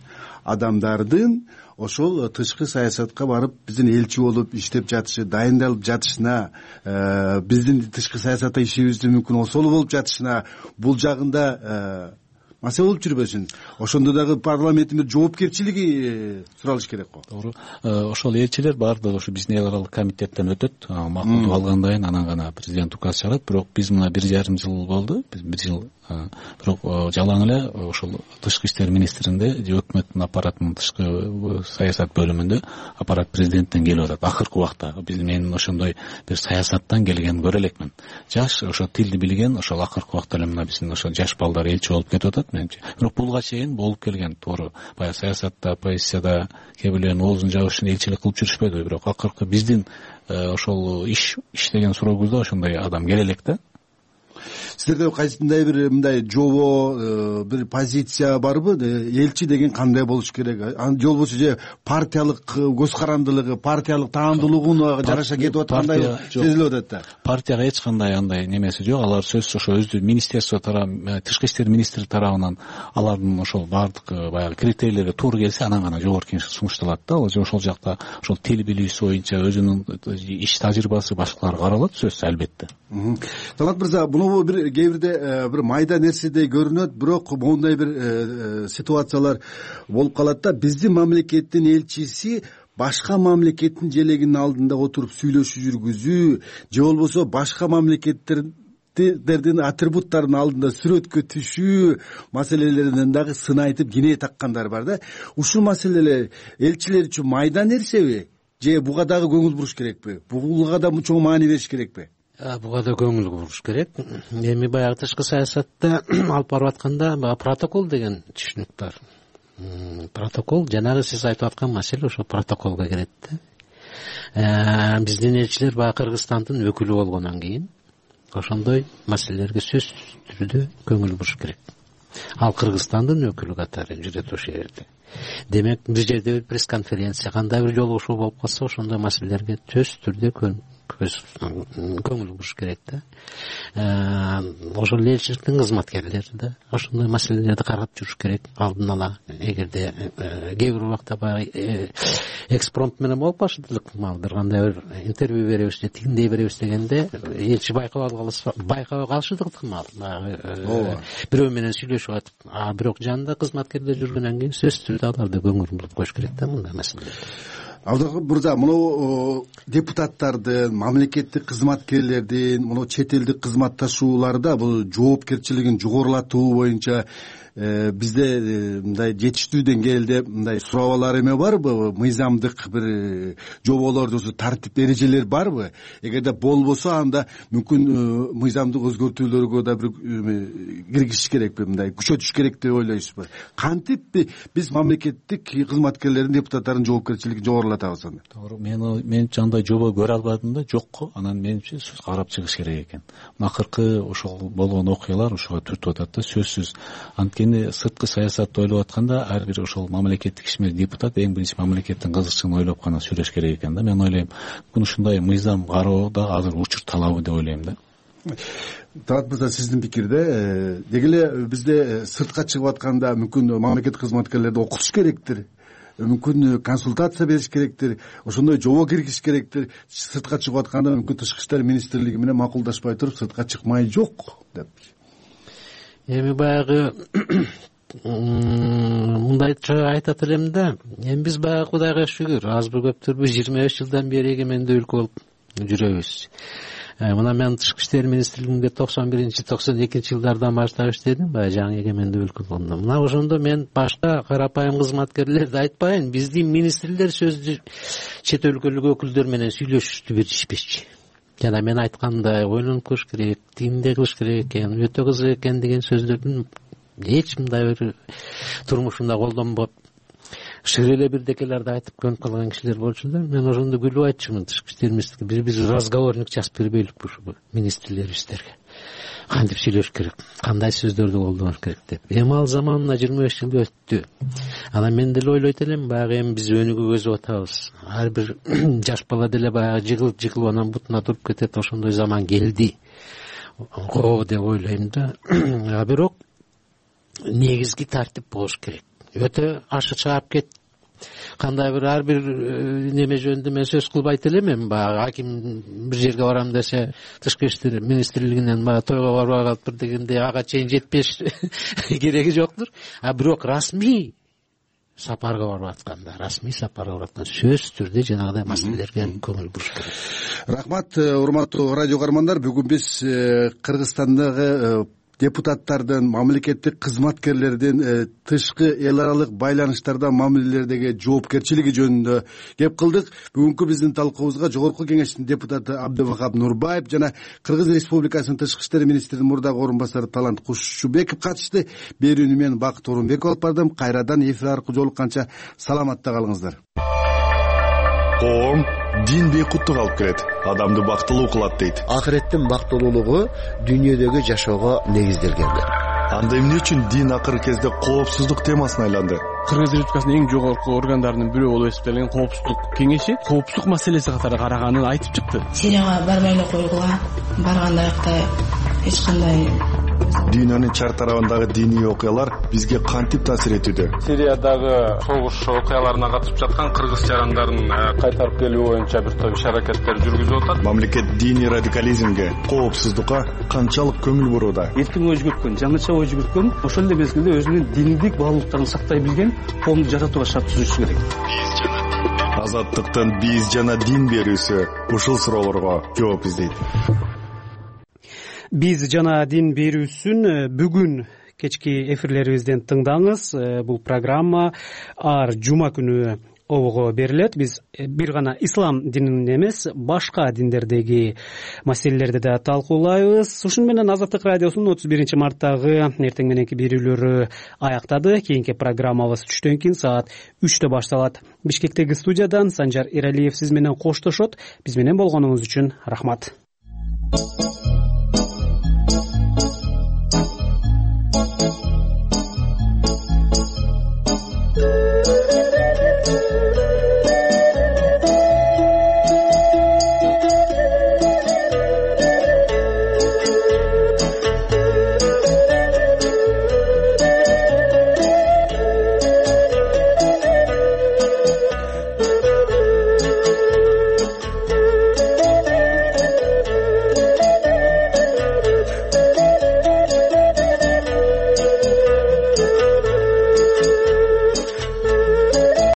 Speaker 6: адамдардын ошол тышкы саясатка барып биздин элчи болуп иштеп жатышы, дайындалып жатышына, биздин тышкы саясатта ишибиздин мүмкүн осолу болуп жатышына, бул жагында маселе болуп жүрбөсүн? Ошондо дагы парламенттин бир жоопкерчилиги суралыш керек го.
Speaker 23: Туура. Ошол элчилер баардыгы ошо биздин эл аралык комитеттен өтөт, макулдук алгандан кийин анан гана президент указ чыгарат. Бирок биз мына 1,5 жыл болду, биз 1 жыл бирок жалаң эле ошол тышкы иштер министринде же өкмөттүн аппаратынын тышкы саясат бөлүмүндө аппарат президенттен келип атат. Акыркы убакта мен ошондой бир саясаттан келген көрө элекмин. Жаш, ошо тилди билген, ошол акыркы убакта эле мына биздин ошо жаш балдар элчи болуп кетип атат менимче. Бирок булга чейин болуп келген, туура баягы саясатта, позицияда кээ бирлердин оозун жабыш үчүн элчилик кылып жүрүшпөйдү. Бирок акыркы биздин ошол иштеген сурообузда ошондой адам келе элек да.
Speaker 6: Сиздерде кайсындай бир мындай жобо, бир позиция барбы? Элчи деген кандай болуш керек? Же болбосо же партиялык көз карандылыгы, партиялык таандуулугуна жараша кетип аткандай сезилип атат да.
Speaker 23: Партияга эч кандай андай немеси жок. Алар сөзсүз ошо өздү министерство тарабынан, тышкы иштер министри тарабынан алардын ошол бардык баягы критерийлерге туура келсе, анан гана жогорку кеңеш сунушталат да. Ошол жакта ошол тил билүүсү боюнча өзүнүн иш тажрыйбасы башкалар каралат, сөзсүз албетте.
Speaker 6: Талант мырза, бул бир кээ бирде бир майда нерседей көрүнөт, бирок моундай бир ситуациялар болуп калат да. Биздин мамлекеттин элчиси башка мамлекеттин желегинин алдында отуруп сүйлөшүү жүргүзүү же болбосо башка мамлекеттердин атрибуттарынын алдында сүрөткө түшүү маселелеринен дагы сын айтып кине таккандар бар да. Ушул маселелер элчилер үчүн майда нерсеби же буга дагы көңүл буруш керекпи? Буга да чоң маани бериш керекпи?
Speaker 8: Буга да көңүл буруш керек. Эми баягы тышкы саясатта алып барып атканда протокол деген түшүнүк бар. Протокол жанагы сиз айтып аткан маселе ошо протоколго кирет да. Биздин элчилер баягы Кыргызстандын өкүлү болгондон кийин ошондой маселелерге сөзсүз түрдө көңүл буруш керек. Ал Кыргызстандын өкүлү катары жүрөт ошол жерде. Демек бир жерде бир пресс-конференция, кандай бир жолугушуу болуп калса, ошондой маселелерге сөзсүз түрдө көңүл буруш керек да. Ошол элчиликтин кызматкерлери да ошондой маселелерди карап жүрүш керек алдын ала. Эгерде кээ бир убакта баягы экспромт менен болуп калышат, бир кандай бир интервью беребиз же тигиндей беребиз дегенде элчи байкабай калышы ыкмал. Бирөө менен сүйлөшүп атып, бирок жанында кызматкерлер жүргөндөн кийин сөзсүз түрдө аларды көңүл буруп коюш керек да мындай маселелерге.
Speaker 6: Абдырахман мырза, мына депутаттардын, мамлекеттик кызматкерлердин, мына чет элдик кызматташууларда бул жоопкерчилигин жогорулатуу боюнча бизде мындай жетиштүү деңгээлде мындай сурабалар эме барбы? Мыйзамдык бир жоболор же тартип эрежелер барбы? Эгерде болбосо, анда мүмкүн мыйзамдык өзгөртүүлөргө да бир киргизиш керекпи, мындай күчөтүш керек деп ойлойсузбу? Кантип биз мамлекеттик кызматкерлердин, депутаттардын жоопкерчилигин жогорулатабыз анда?
Speaker 23: Туура, менимче андай жобо көрө албадым да, жокко. Анан менимче сөз карап чыгыш керек экен. Акыркы ошол болгон окуялар ошого түртүп атат да, сөзсүз. Сырткы саясатты ойлоп атканда ар бир ошол мамлекеттик ишмер депутат эң биринчи мамлекеттин кызыкчылыгын ойлоп гана сүйлөш керек экен да. Мен ойлойм, ушундай мыйзам кароо да азыр учур талабы деп ойлойм да.
Speaker 6: Талат мырза, сиздин пикирде деги эле бизде сыртка чыгып атканда мүмкүн мамлекеттик кызматкерлерди окутуш керектир, мүмкүн консультация бериш керектир, ошондой жобо киргизиш керектир. Сыртка чыгып атканда мүмкүн Тышкы иштер министрлиги менен макулдашпай туруп сыртка чыкмай жок деп.
Speaker 8: Эми баягы мындайча айтат элем да, эми биз баягы Кудайга шүгүр, аз бир көптүрбү 25 жылдан бери эгемендүү өлкө болуп жүрөбүз. Мына мен Тышкы иштер министрлигинде 91-92 жылдардан баштап иштедим, баягы жаңы эгемендүү өлкө болгондо. Мына ошондо мен башка карапайым кызматкерлерди айтпайын, биздин министрлер сөздү чет өлкөлүк өкүлдөр менен сүйлөшүштү беришпечи. Жана мен айткандай ойлонуп көрүш керек, тигиндей кылыш керек экен, өтө кызык экен деген сөздөрдүн эч мындай бир турмушунда колдонбоп, шыр эле бирдекелерди айтып көнүп калган кишилер болчулар. Мен ошондо күлүп айтчумун, Тышкы иштер министрлиги биз разговорник жазып бербейликпи ушу министрлерибиздерге. Кантип сүйлөш керек, кандай сөздөрдү колдонуш керек деп. Эми ал заманына 25 жыл өттү. Анан мен деле ойлойт элем, баягы эми биз өнүгүп өсүп атабыз. Ар бир жаш бала деле баягы жыгылып анан бутуна туруп кетет, ошондой заман келди деп ойлойм да. Бирок негизги тартип болуш керек. Өтө ашы чыгап кетти. Кандай бир ар бир неме жөнүндө мен сөз кылбайт элем. Эми баягы аким бир жерге барам десе, Тышкы иштер министрлигинен баягы тойго барбай калыптыр дегенде ага чейин жетпеш кереги жоктур. Бирок расмий сапарга барып атканда, сөзсүз түрдө жанагыдай маселелерге көңүл буруш керек.
Speaker 6: Рахмат, урматтуу радио көрөрмандар. Бүгүн биз Кыргызстандагы депутаттардын, мамлекеттик кызматкерлердин тышкы эл аралык байланыштарда мамилелердеги жоопкерчилиги жөнүндө кеп кылдык. Бүгүнкү биздин талкуубузга Жогорку Кеңештин депутаты Абдывахап Нурбаев жана Кыргыз Республикасынын Тышкы иштер министринин мурдагы орун басары Талант Кушубеков катышты. Берүүнү мен Бакыт Орунбеков алып бардым. Кайрадан эфир аркылуу жолукканча саламатта калыңыздар.
Speaker 14: Коом дин бейкуттук алып келет, адамды бактылуу кылат дейт.
Speaker 2: Акыреттин бактылуулугу дүйнөдөгү жашоого негизделген.
Speaker 14: Анда эмне үчүн дин акыркы кезде коопсуздук темасына айланды?
Speaker 10: Кыргыз Республикасынын эң жогорку органдарынын бирөө болуп эсептелген коопсуздук кеңеши коопсуздук маселеси катары караганын айтып чыкты.
Speaker 11: Сирияга барбай эле койгула, барганда аякта эч кандай
Speaker 14: Дүйнөнүн чар тарабындагы диний окуялар бизге кантип таасир этүүдө?
Speaker 10: Сириядагы согуш окуяларына катышып жаткан кыргыз жарандарын кайтарып келүү боюнча бир топ иш-аракеттер жүргүзүп атат.
Speaker 14: Мамлекет диний радикализмге, коопсуздукка канчалык көңүл бурууда?
Speaker 7: Эркин ой жүгүрткөн, жаңыча ой жүгүрткөн, ошол эле мезгилде өзүнүн диндик баалуулуктарын сактай билген коомду жаратууга шарт түзүшү керек.
Speaker 14: Азаттыктын биз жана дин берүүсү ушул суроолорго жооп издейт.
Speaker 1: Биз жана дин берүүсүн бүгүн кечки эфирлерибизден тыңдаңыз. Бул программа ар жума күнү обого берилет. Биз бир гана ислам динин эмес, башка диндердеги маселелерди да талкуулайбыз. Ушуну менен Азаттык радиосунун 31 марттагы эртең мененки берүүлөрү аяктады. Кийинки программабыз түштөн кийин саат 3-тө башталат. Бишкектеги студиядан Санжар Эралиев сиз менен коштошот. Биз менен болгонуңуз үчүн рахмат.